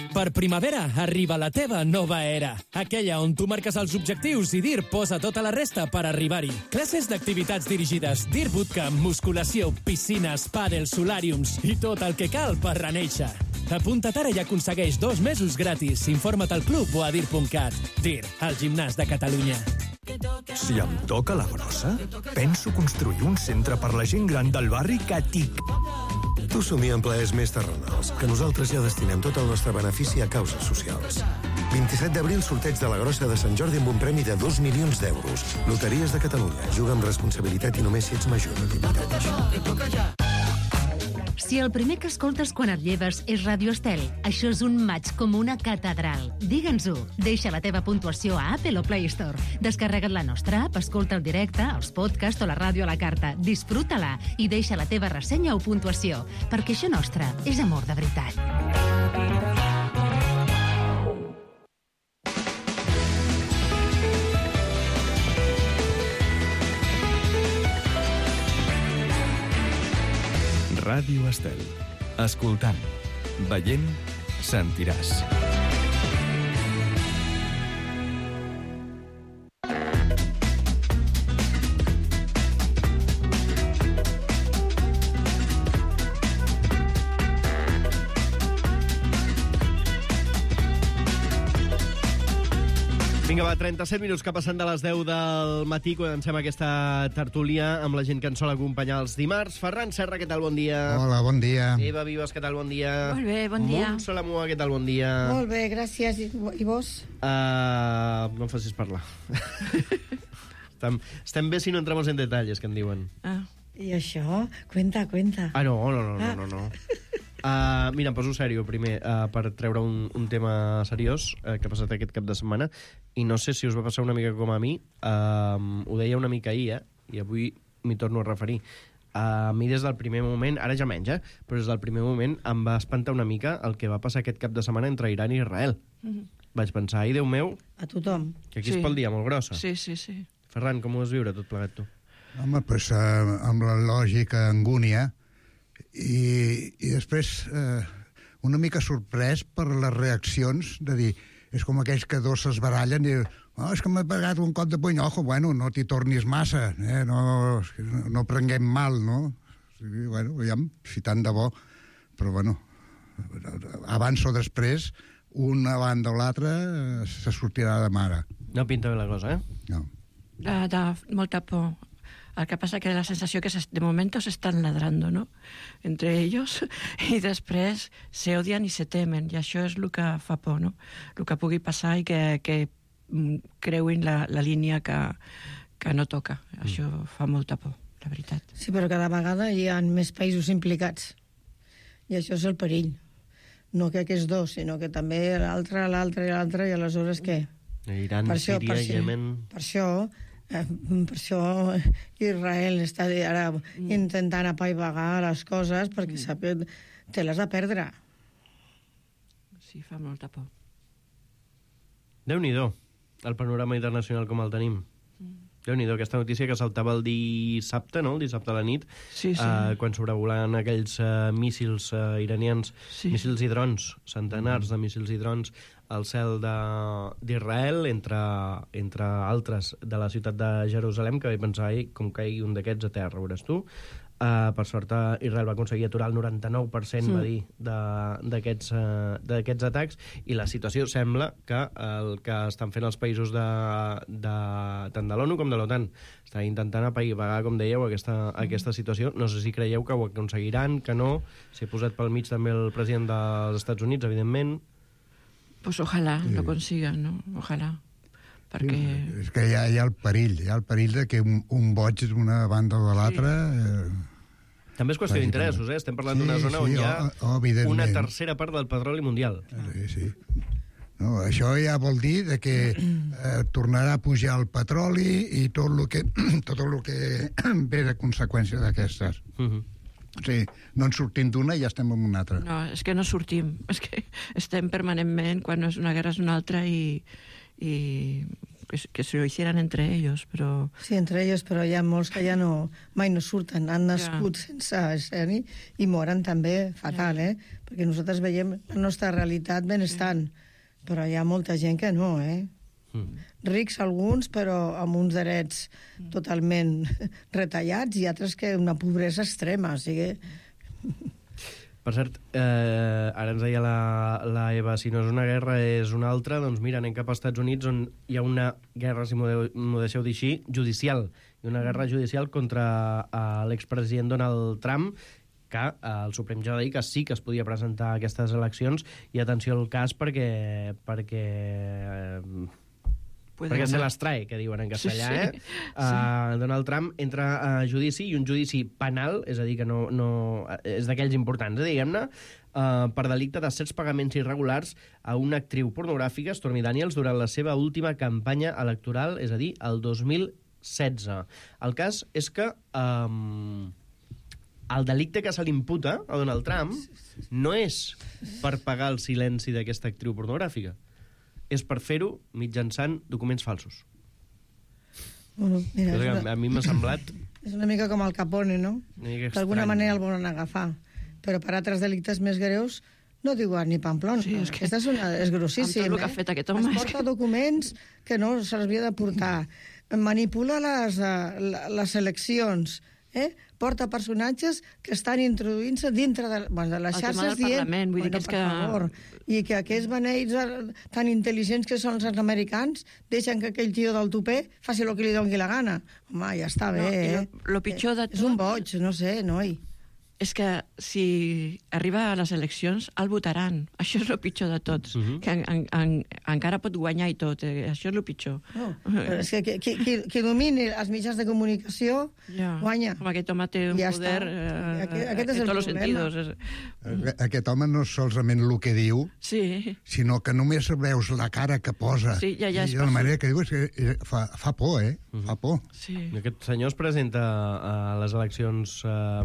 Per primavera arriba la teva nova era. Aquella on tu marques els objectius i DIR posa tota la resta per arribar-hi. Classes d'activitats dirigides, DIR Bootcamp, musculació, piscines, pàdel, solàriums i tot el que cal per renéixer. Apunta't ara i aconsegueix 2 mesos gratis. Informa't al club o a dir.cat. DIR, el gimnàs de Catalunya. Si em toca la brossa, penso construir un centre per la gent gran del barri que TIC. Tu somia en plaers més terrenals, que nosaltres ja destinem tot el nostre benefici a causes socials. 27 d'abril, sorteig de la Grossa de Sant Jordi amb un premi de 2 milions d'euros. Loteries de Catalunya. Juga amb responsabilitat i només si ets major de 18 anys. Si el primer que escoltes quan et lleves és Ràdio Estel, això és un maig com una catedral. Digue'ns-ho. Deixa la teva puntuació a Apple o Play Store. Descarrega't la nostra app, escolta el directe, els podcasts o la ràdio a la carta. Disfruta-la i deixa la teva ressenya o puntuació, perquè això nostre és amor de veritat. Ràdio Estel. Escoltant, veient, sentiràs. Vinga, va, 37 minuts que passen de les 10 del matí. Comencem aquesta tertúlia amb la gent que ens sol acompanyar els dimarts. Ferran Serra, què tal? Bon dia. Hola, bon dia. Eva Vives, què tal? Bon dia. Molt bé, bon dia. Montse Lamua, què tal? Bon dia. Molt bé, gràcies. I vos? No em facis parlar. Estem bé si no entramos en detalles, que en diuen. I això? Cuenta. No. Mira, em poso sèrio primer per treure un tema seriós que ha passat aquest cap de setmana, i no sé si us va passar una mica com a mi. Ho deia una mica ahir, i avui m'hi torno a referir. A mi des del primer moment, ara ja menys, però des del primer moment em va espantar una mica el que va passar aquest cap de setmana entre Iran i Israel. Vaig pensar, ai, Déu meu, a tothom. Que aquí es pel dia molt grossa. Sí. Ferran, com ho vas viure tot plegat, tu? Home, doncs amb la lògica angúnia, i després una mica sorprès per les reaccions de dir, és com aquells que dos s'esbarallen i és que m'he pegat un cop de puny, ojo, bueno, no t'hi tornis massa, no prenguem mal, no? Bueno, aviam, si tant de bo, però bueno, abans o després, una banda o l'altra se sortirà de mare. No pinta bé la cosa, No. De molta por. El que passa que la sensació que de momento se están ladrando, ¿no? Entre ellos, i després se odian i se temen, i això és el que fa por, no? El que pugui passar i que creuin la línia que no toca. Això fa molta por, la veritat. Sí, però cada vegada hi ha més països implicats. I això és el perill. No que aquests dos, sinó que també l'altre, i aleshores què? Iran, Síria, Yemen... Per això Israel està ara intentant apaivagar les coses perquè sap que te les ha de perdre. Sí, fa molta por. Déu-n'hi-do, el panorama internacional com el tenim. Déu-n'hi-do, aquesta notícia que saltava el dissabte, no?, el dissabte a la nit, quan sobrevolant aquells míssils iranians, míssils i drons, centenars de míssils i drons, al cel d'Israel, entre altres de la ciutat de Jerusalem, que vaig pensar, com caigui un d'aquests a terra, veuràs tu. Per sort, Israel va aconseguir aturar el 99%, va dir, d'aquests atacs, i la situació sembla que el que estan fent els països tant de l'ONU com de l'OTAN està intentant apaivagar, com dèieu, aquesta situació. No sé si creieu que ho aconseguiran, que no. S'hi ha posat pel mig també el president dels Estats Units, evidentment. Pues ojalá lo consigan, ¿no? Ojalá. Perquè... És que hi ha el perill, de que un boig d'una banda o de l'altra... També és qüestió d'interessos, Estem parlant d'una zona on hi ha una tercera part del petroli mundial. Sí. No, això ja vol dir que tornarà a pujar el petroli i tot el que ve de conseqüència d'aquestes. O sigui, no en sortim d'una i ja estem en una altra. No, és que no sortim. És que estem permanentment, quan no és una guerra és una altra, i que se lo hicieran entre ellos, però... Sí, entre ellos, però hi ha molts que ja mai no surten, han nascut sense ser-hi i moren també fatal, perquè nosaltres veiem la nostra realitat benestant, però hi ha molta gent que no, rics alguns, però amb uns drets totalment retallats, i altres que una pobresa extrema, o sigui... Per cert, ara ens deia la Eva, si no és una guerra és una altra, doncs mira, anem cap als Estats Units, on hi ha una guerra, si m'ho deixeu dir així, judicial, i una guerra judicial contra l'expresident Donald Trump, que el Suprem ja va dir que sí que es podia presentar a aquestes eleccions, i atenció al cas perquè se les trae, que diuen en castellà, Donald Trump entra a judici, i un judici penal, és a dir, que no és d'aquells importants, diguem-ne, per delicte de certs pagaments irregulars a una actriu pornogràfica, Stormy Daniels, durant la seva última campanya electoral, és a dir, el 2016. El cas és que el delicte que se li imputa a Donald Trump no és per pagar el silenci d'aquesta actriu pornogràfica, és per fer-ho mitjançant documents falsos. Bueno, mira, a mi m'ha semblat... És una mica com el Capone, no? D'alguna manera el volen agafar, però per altres delictes més greus no diuen ni Pamplona. Sí, és que... Aquesta és grossíssim. Amb tot el que ha fet aquest home... Es porta documents que no s'havia de portar. Manipula les eleccions, porta personatges que estan introduint-se dintre de les xarxes dient... Vull dir que és que... favor, i que aquests beneits tan intel·ligents que són els americans deixen que aquell tio del tupé faci el que li doni la gana. Home, ja està bé, Lo pitjor de tot... És un boig, no sé, noi. És que si arriba a les eleccions, el votaran. Això és el pitjor de tots. Que encara pot guanyar i tot. Això és el pitjor. No, però és que qui domini els mitjans de comunicació guanya. Com aquest home té un poder aquest és en el tots els sentidos. Aquest home no és solament el que diu, sinó que només veus la cara que posa. Sí, ja I la manera que diu és que fa por, Fa por. Aquest senyor es presenta a les eleccions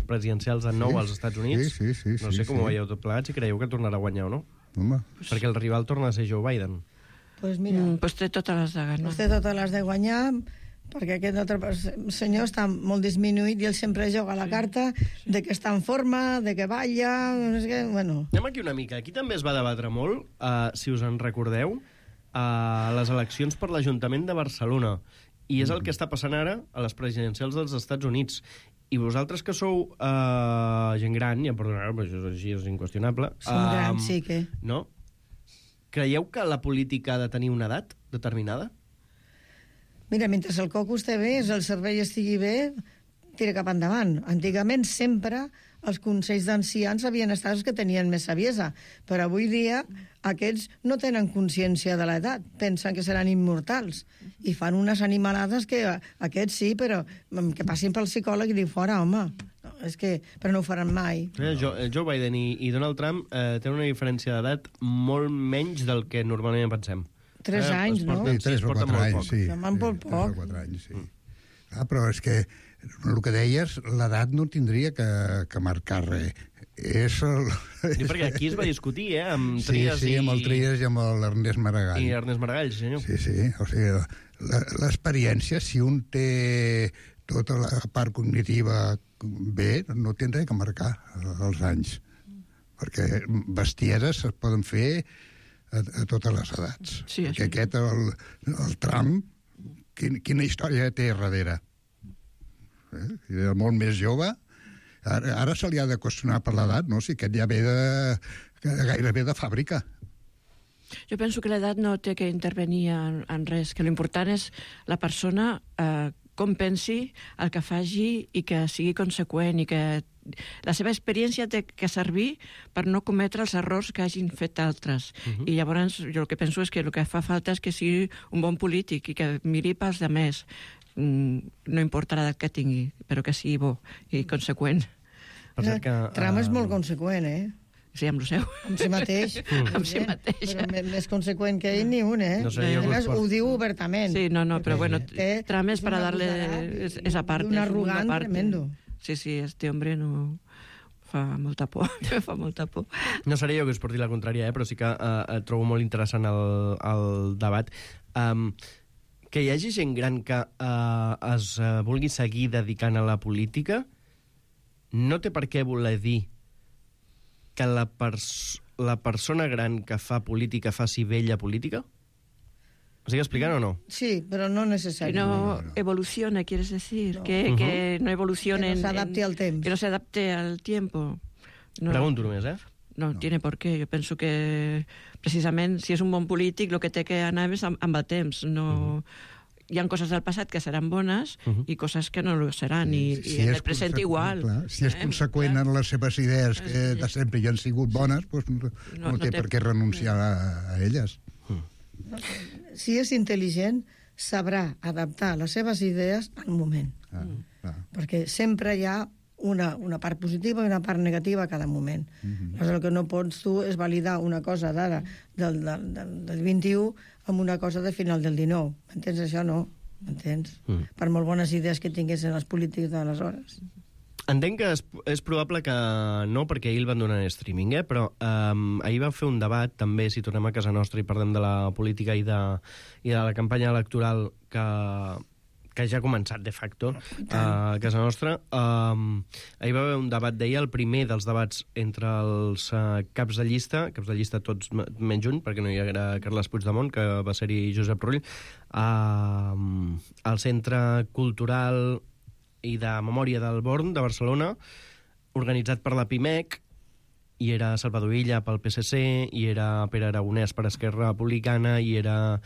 presidencials de nou als Estats Units. Sí, no sé com ho veieu tot plegat, si creieu que tornarà a guanyar o no. Home. Perquè el rival torna a ser Joe Biden. Pues mira... Pues té totes les de ganar. Té totes les de guanyar, perquè aquest altre senyor està molt disminuït i ell sempre joga la carta de que està en forma, de que balla... No sé què, bueno... Anem aquí una mica. Aquí també es va debatre molt, si us en recordeu, les eleccions per l'Ajuntament de Barcelona. I és el que està passant ara a les presidencials dels Estats Units. I vosaltres que sou gent gran, ja em perdonareu, però això és així, és inqüestionable. Som grans, sí que... No? Creieu que la política ha de tenir una edat determinada? Mira, mentre el coco esté bé, el cervell estigui bé, tira cap endavant. Antigament sempre els consells d'ancians havien estat els que tenien més saviesa, però avui dia aquests no tenen consciència de l'edat, pensen que seran immortals i fan unes animalades que aquests sí, però que passin pel psicòleg i diu fora, home, no, és que, però no ho faran mai. Joe Biden i Donald Trump tenen una diferència d'edat molt menys del que normalment pensem. 3 anys, no? Sí, 3 o 4 anys, sí. Van molt poc. 3 o 4 anys, sí. Però és que el que deies, l'edat no tindria que marcar res. És el... Sí, perquè aquí es va discutir, amb Trias sí, amb el Trias i amb l'Ernest Maragall. I Ernest Maragall, senyor. Sí, o sigui, l'experiència, si un té tota la part cognitiva bé, no té res que marcar els anys. Perquè bestieses es poden fer a totes les edats. Sí, perquè aquest, el Trump, quina història té darrere? Era molt més jove. Ara se li ha de qüestionar per l'edat, no? Si aquest ja ve gairebé de fàbrica. Jo penso que l'edat no té que intervenir en res, que l'important és la persona com pensi, el que faci i que sigui conseqüent i que la seva experiència té que servir per no cometre els errors que hagin fet altres. I llavors jo el que penso és que el que fa falta és que sigui un bon polític i que miri pels demés. No importa l'edat que tingui, però que sigui bo i conseqüent. Trump és molt conseqüent, Sí, amb el seu. Amb si mateix. Amb si mateix. Però més conseqüent que ell ni un, No sé, ho diu obertament. Sí, no, però bueno, Trump és para darle esa parte. Un arrogant tremendo. Sí, este hombre no... fa molta por, fa molta por. No seré jo que us porti la contrària, però sí que trobo molt interessant el debat. Que hi hagi gent gran que es vulgui seguir dedicant a la política no té per què voler dir que la persona gran que fa política faci vella política? ¿Estic explicant o no? Sí, però no necessàriament. Que no evolucione, quieres decir. Que no evolucione. Que no se adapte al temps. Que no se adapte al tiempo. Pregunto només, No tiene por qué. Jo penso que, precisament, si és un bon polític, el que té que anar és amb el temps. No... Hi ha coses del passat que seran bones i coses que no ho seran, i en el present igual. Clar, si és conseqüent en les seves idees que de sempre ja han sigut bones, doncs no té per què renunciar a elles. Si és intel·ligent, sabrà adaptar les seves idees al moment. Perquè sempre hi ha una part positiva i una part negativa a cada moment. El que no pots tu és validar una cosa d'ara, del 21, amb una cosa de final del 19. M'entens? Això no. M'entens? Per molt bones idees que tinguessin els polítics d'aleshores. Entenc que és probable que no, perquè ahir el van donar en streaming, però ahir va fer un debat, també, si tornem a casa nostra i parlem de la política i de la campanya electoral que ja ha començat, de facto, a casa nostra. Ahir va haver un debat, deia, el primer dels debats entre els caps de llista tots menys un, perquè no hi era Carles Puigdemont, que va ser-hi Josep Rull, al Centre Cultural i de Memòria del Born, de Barcelona, organitzat per la PIMEC, i era Salvador Illa pel PSC, i era Pere Aragonès per Esquerra Republicana, i era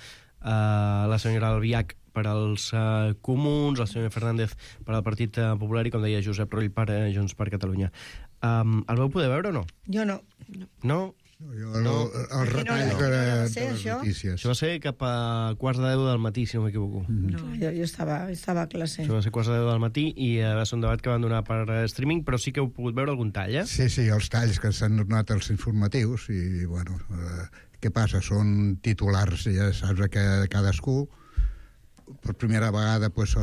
la senyora Albiach per als Comuns, la senyora Fernández per al Partit Popular i, com deia, Josep Rull per Junts per Catalunya. El vau poder veure o no? Jo no. No? El retall de les notícies. Això va ser cap a 9:15 del matí, si no m'equivoco. Jo estava a classe. Això va ser 9:15 del matí i va ser un debat que van donar per streaming, però sí que heu pogut veure algun tall, Sí, els talls que s'han donat als informatius i, bueno, què passa? Són titulars, ja saps, que cadascú, per primera vegada, pues,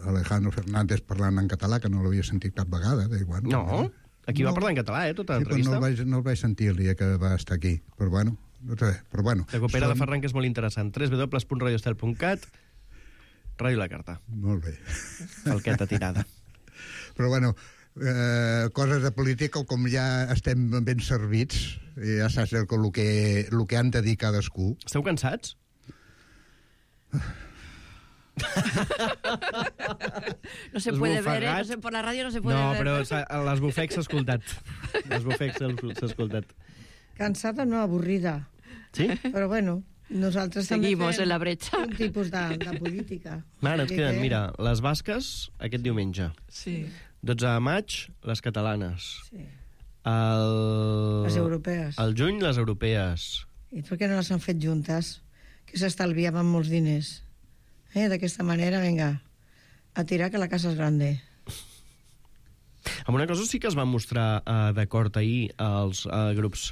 Alejandro Fernández parlant en català, que no l'havia sentit cap vegada. Bueno, no? Aquí va parlar en català, tota l'entrevista. No el vaig sentir el dia que va estar aquí, però bueno, no sé, però bueno. Recupera la Ferran, que és molt interessant. www.radioestel.cat, Ràdio La Carta. Molt bé. Falqueta tirada. Però bueno, coses de política, com ja estem ben servits, ja saps el que han de dir cadascú. Esteu cansats? No se puede ver, por la radio no se puede ver. No, però l'esbufec s'ha escoltat. L'esbufec s'ha escoltat. Cansada, no, avorrida. Sí? Però bueno, Nosaltres també Seguimos fem en la brecha. un tipus de política. Ara ens queden, mira, les basques aquest diumenge. Sí. 12 de maig, les catalanes. Sí. Les europees. Al juny, les europees. I per què no les han fet juntes? Que s'estalviaven molts diners. D'aquesta manera, vinga, a tirar que la casa és grande. Amb una cosa sí que es van mostrar d'acord ahir els grups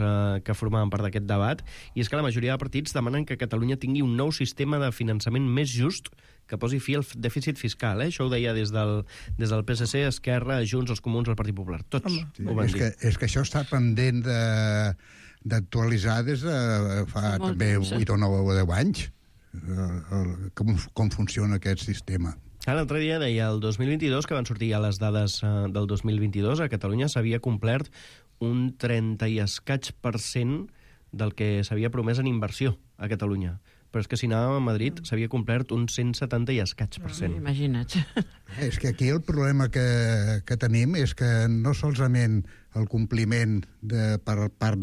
que formaven part d'aquest debat, i és que la majoria de partits demanen que Catalunya tingui un nou sistema de finançament més just que posi fi al dèficit fiscal. Això ho deia des del PSC, Esquerra, Junts, els Comuns, el Partit Popular. Tots ho van dir. És que això està pendent d'actualitzar des de fa també 8 o 9 o 10 anys, com funciona aquest sistema. L'altre dia deia el 2022, que van sortir ja les dades del 2022, a Catalunya s'havia complert un 30 i escaig % del que s'havia promès en inversió a Catalunya. Però és que si anàvem a Madrid s'havia complert un 170 i escaig %. Imagina't. És que aquí el problema que tenim és que no solament el compliment per part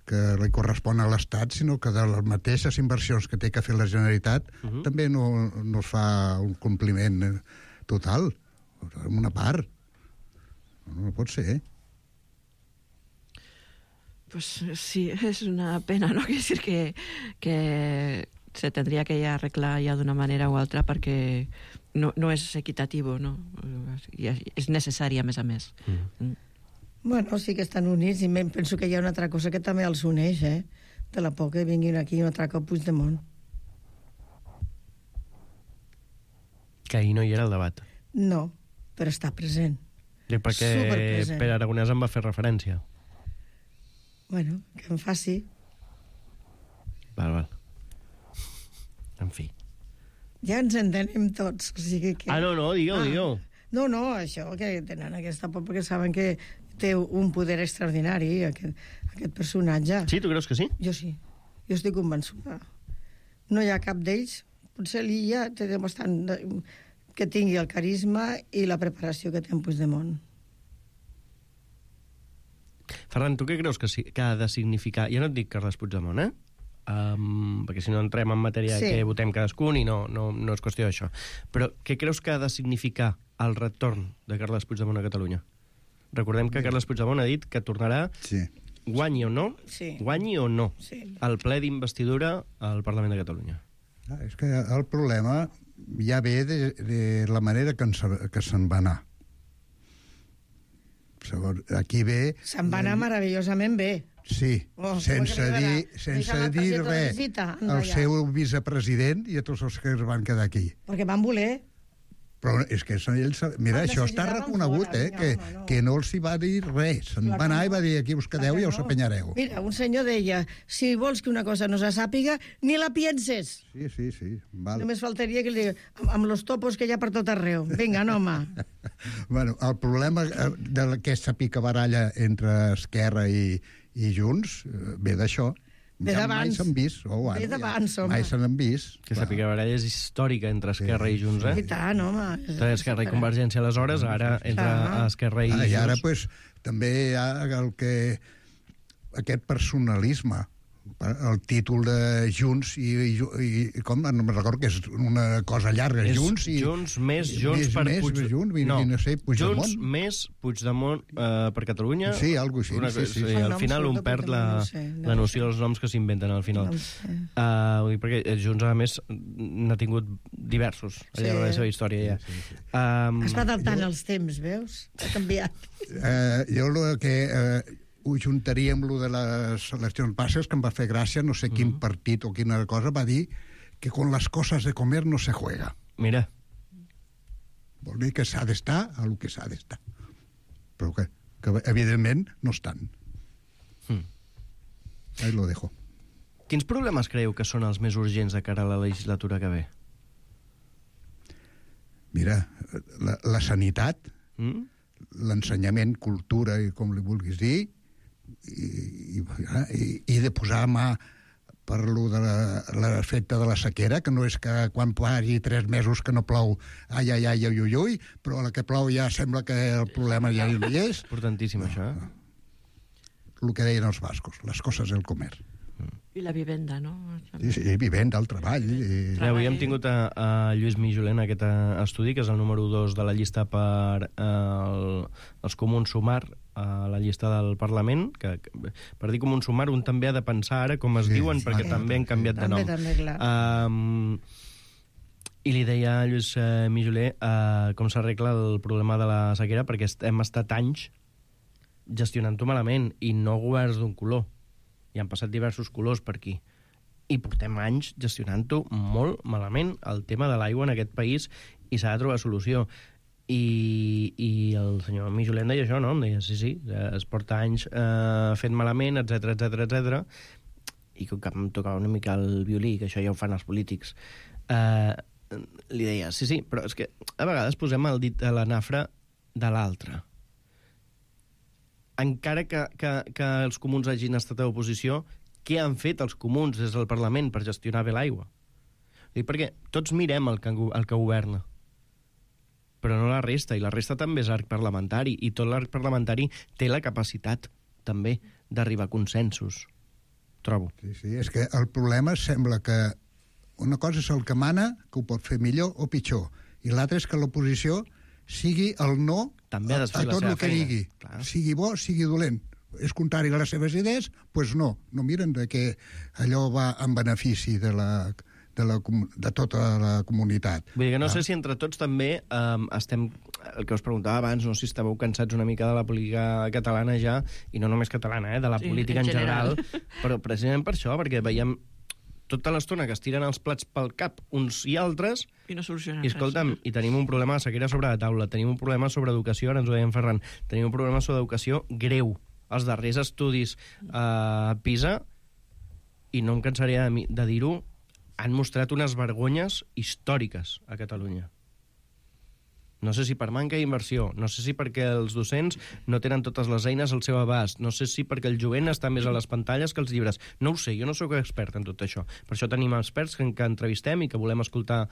que li correspon a l'Estat, sinó que de les mateixes inversions que té que fer la Generalitat també no es fa un compliment total, en una part. No pot ser, Pues sí, es una pena, ¿no? Quiere decir que se tendría que ya arreglar ya de una manera u altra perquè no és equitativo, no? I és necessari, a més. Bueno, sí que estan units i penso que hi ha una altra cosa que també els uneix, de la por que vinguin aquí un altre cop Puigdemont. Que ahir no hi era el debat. No, però està present. I perquè Pere Aragonès en va fer referència. Bueno, que em faci. Val. En fi. Ja ens entenem tots, o sigui que... No, digueu. No, això, que tenen aquesta por perquè saben que té un poder extraordinari, aquest personatge. Sí, tu creus que sí? Jo sí, jo estic convençuda. No hi ha cap d'ells, potser l'Illa té bastant que tingui el carisma i la preparació que té en Puigdemont. Ferran, tu què creus que ha de significar... Jo no et dic Carles Puigdemont, perquè si no entrem en matèria que votem cadascun i no és qüestió d'això. Però què creus que ha de significar el retorn de Carles Puigdemont a Catalunya? Recordem que Carles Puigdemont ha dit que tornarà, guanyi o no, al ple d'investidura al Parlament de Catalunya. És que el problema ja ve de la manera que se'n va anar. Aquí ve... Se'n va anar meravellosament bé. Sí, sense dir res al seu vicepresident i a tots els que es van quedar aquí. Perquè van voler. Però és que ells... Mira, això està reconegut, que no els hi va dir res. Se'n va anar i va dir, aquí us quedeu i us apanyareu. Mira, un senyor deia, si vols que una cosa no se sàpiga, ni la pienses. Sí, vale. Només faltaria que li digui, amb los topos que hi ha per tot arreu. Vinga, no, home. Bueno, el problema d'aquesta picabaralla entre Esquerra i Junts ve d'això. Mai s'han vist. Ve d'abans, home. Mai se n'han vist. Aquesta picabaralla és històrica entre Esquerra i Junts, I tant, home. Entre Esquerra i Convergència aleshores, ara entre Esquerra i Junts. I ara, també hi ha aquest personalisme. El títol de Junts i com, no me'n recordo que és una cosa llarga, Junts i... Junts més Junts per Puigdemont. No, Junts més Puigdemont per Catalunya. Sí, algo així. Al final un perd la noció dels noms que s'inventen al final. Perquè Junts, a més, n'ha tingut diversos al llarg de la seva història. Es va adaptant els temps, veus? Ha canviat. Jo el que... ho juntaria amb lo de les eleccions passes, que em va fer gràcia, no sé quin partit o quina cosa, va dir que con las cosas de comer no se juega. Mira. Vol dir que s'ha d'estar a lo que s'ha d'estar. Però que evidentment no estan. Ahí lo dejo. Quins problemes creieu que són els més urgents de cara a la legislatura que ve? Mira, la sanitat, l'ensenyament, cultura, i com li vulguis dir, i de posar mà per lo de l'efecte de la sequera, que no és que quan hagi 3 mesos que no plou, ai, però a la que plou ja sembla que el problema ja no hi és. Importantíssim, això, El que deien els bascos, les coses del comer. I la vivenda, no? Sí, vivenda, el treball. Avui hem tingut a Lluís Mijoler en aquest estudi, que és el número 2 de la llista per els Comuns Sumar a la llista del Parlament, que per dir Comuns Sumar un també ha de pensar ara com es diuen, perquè també han canviat de nom. També, clar. I li deia a Lluís Mijoler com s'arregla el problema de la sequera, perquè hem estat anys gestionant-ho malament, i no governs d'un color. I han passat diversos colors per aquí. I portem anys gestionant-ho molt malament, el tema de l'aigua en aquest país, i s'ha de trobar solució. I el senyor Mijoler em deia això, no? Em deia, sí, es porta anys fent malament, etc. I com que em tocava una mica el violí, que això ja ho fan els polítics, li deia, sí, però és que a vegades posem el dit a la nafra de l'altre. Encara que els comuns hagin estat a oposició, què han fet els comuns des del Parlament per gestionar bé l'aigua? Dic perquè tots mirem el que governa, però no la resta, i la resta també és arc parlamentari, i tot l'arc parlamentari té la capacitat també d'arribar a consensos, trobo. Sí, és que el problema sembla que una cosa és el que mana, que ho pot fer millor o pitjor, i l'altra és que l'oposició sigui el no a tot el que digui. Clar. Sigui bo, sigui dolent. És contrari a les seves idees, doncs no miren de que allò va en benefici de tota la comunitat. Vull dir que no sé si entre tots també estem, el que us preguntava abans, no sé si estàveu cansats una mica de la política catalana ja, i no només catalana, de la política en general, però precisament per això, perquè veiem tota l'estona que es tiren els plats pel cap uns i altres, i no solucionen res. I escolta'm, i tenim un problema de sequera sobre la taula, tenim un problema sobre educació, ara ens ho deia en Ferran, tenim un problema sobre educació greu. Els darrers estudis a PISA, i no em cansaré de dir-ho, han mostrat unes vergonyes històriques a Catalunya. No sé si per manca d'inversió, no sé si perquè els docents no tenen totes les eines al seu abast, no sé si perquè el jovent està més a les pantalles que els llibres. No ho sé, jo no sóc expert en tot això. Per això tenim experts que entrevistem i que volem escoltar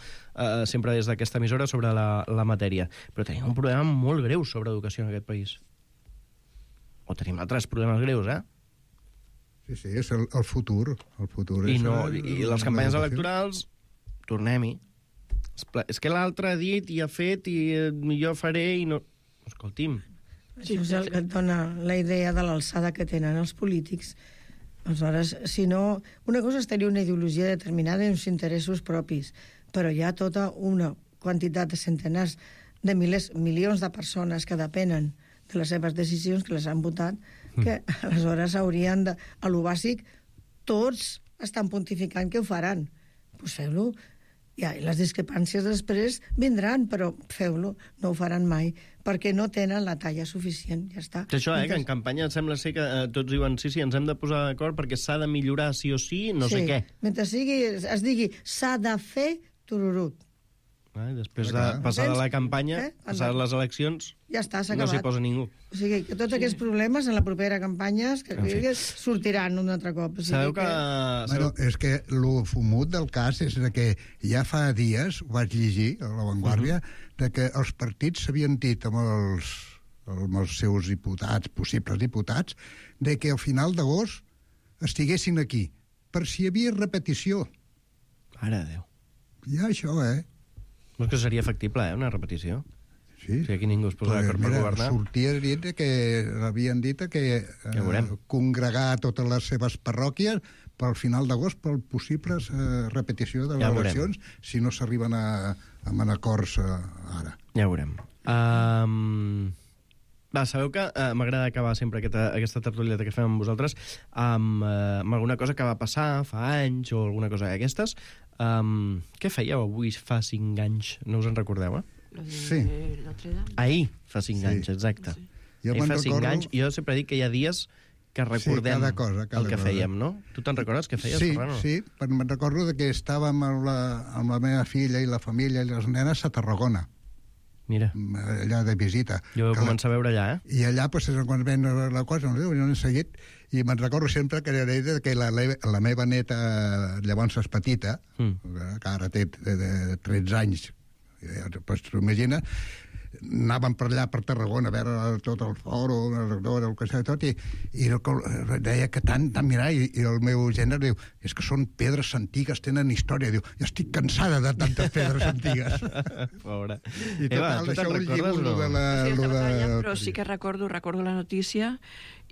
sempre des d'aquesta emissora sobre la matèria. Però tenim un problema molt greu sobre educació en aquest país. O tenim altres problemes greus, Sí, és el futur. El futur I les campanyes electorals, tornem-hi. És que l'altre ha dit i ha fet i jo faré i no... Escolti'm. Això és el que et dona la idea de l'alçada que tenen els polítics. Aleshores, si no... Una cosa és tenir una ideologia determinada i uns interessos propis, però hi ha tota una quantitat de centenars de milions de persones que depenen de les seves decisions, que les han votat, que aleshores haurien de... A lo bàsic, tots estan pontificant que ho faran. Doncs feu-lo. I les discrepàncies després vindran, però feu-lo, no ho faran mai, perquè no tenen la talla suficient, ja està. Això, que en campanya sembla ser que tots diuen sí, ens hem de posar d'acord perquè s'ha de millorar sí o sí, no sé què. Mentre es digui s'ha de fer, tururut. Després de passar la campanya, passar les eleccions, ja està, s'ha no acabat. s'hi posa ningú. O sigui, que tots aquests problemes en la propera campanya sortiran un altre cop. Sabeu que... És que el fumut del cas és que ja fa dies, ho vaig llegir a La Vanguardia, de que els partits s'havien dit amb els seus diputats, possibles diputats, de que al final d'agost estiguessin aquí, per si hi havia repetició. Mare de Déu. Ja això, No és que seria factible, una repetició. Sí. Si aquí ningú es posa d'acord per governar. Sortia dit que havien dit que congregar totes les seves parròquies pel final d'agost per possibles repetició de les eleccions, si no s'arriben a acords ara. Ja ho veurem. Sabeu que m'agrada acabar sempre aquesta tertulieta que fem amb vosaltres amb alguna cosa que va passar fa anys o alguna cosa d'aquestes. Què fèieu avui fa 5 anys? No us en recordeu, Sí. Ahir fa 5 anys, exacte. Ahir fa 5 anys, jo sempre dic que hi ha dies que recordem el que fèiem, no? Tu te'n recordes què feies, Ferran? Sí, però me'n recordo que estàvem amb la meva filla i la família i les nenes a Tarragona. Mira. Allà de visita. Jo vaig començar a veure allà, I allà, quan ven la cosa, no he seguit, i me'n recordo sempre que la meva neta, llavors és petita, que ara té 13 anys, Pues t'ho imagines, anàvem per allà, per Tarragona, a veure tot el foro, el que sigui tot, i deia que tant mirar, i el meu gènere diu, és que són pedres antigues, tenen història. Diu, jo estic cansada de tantes pedres antigues. Pobra. I total, això ho lligo, però sí que recordo la notícia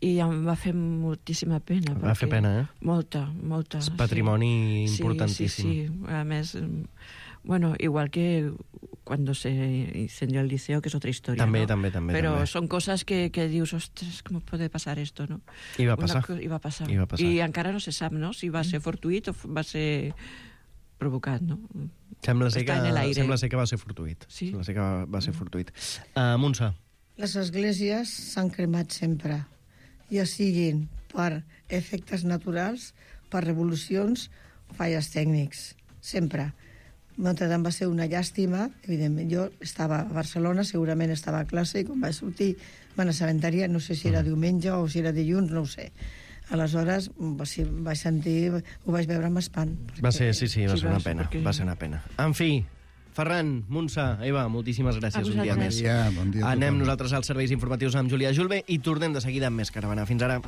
i em va fer moltíssima pena. Va fer pena, eh? Molta. És patrimoni importantíssim. Sí. A més, bueno, igual que cuando se incendió el liceo, que es otra historia, també, ¿no? també. Pero son cosas que dius, ostres, com puede pasar esto, no? I va passar. I va passar. I encara no se sap, no?, si va ser fortuït o va ser provocat, no? Sembla ser que va ser fortuït. Sí? Sembla ser que va ser fortuït. Montse. Les esglésies s'han cremat sempre, ja siguin per efectes naturals, per revolucions, falles tècnics, sempre. Notre Dame va ser una llàstima, evidentment. Jo estava a Barcelona, segurament estava a classe, i quan vaig sortir me'n assabentaria, no sé si era diumenge o si era dilluns, no ho sé. Aleshores, vaig sentir, ho vaig veure amb espant. Va ser una pena, va ser una pena. En fi, Ferran, Montse, Eva, moltíssimes gràcies un dia més. Bon dia. Anem nosaltres als serveis informatius amb Júlia Julve i tornem de seguida amb més Caravana. Fins ara.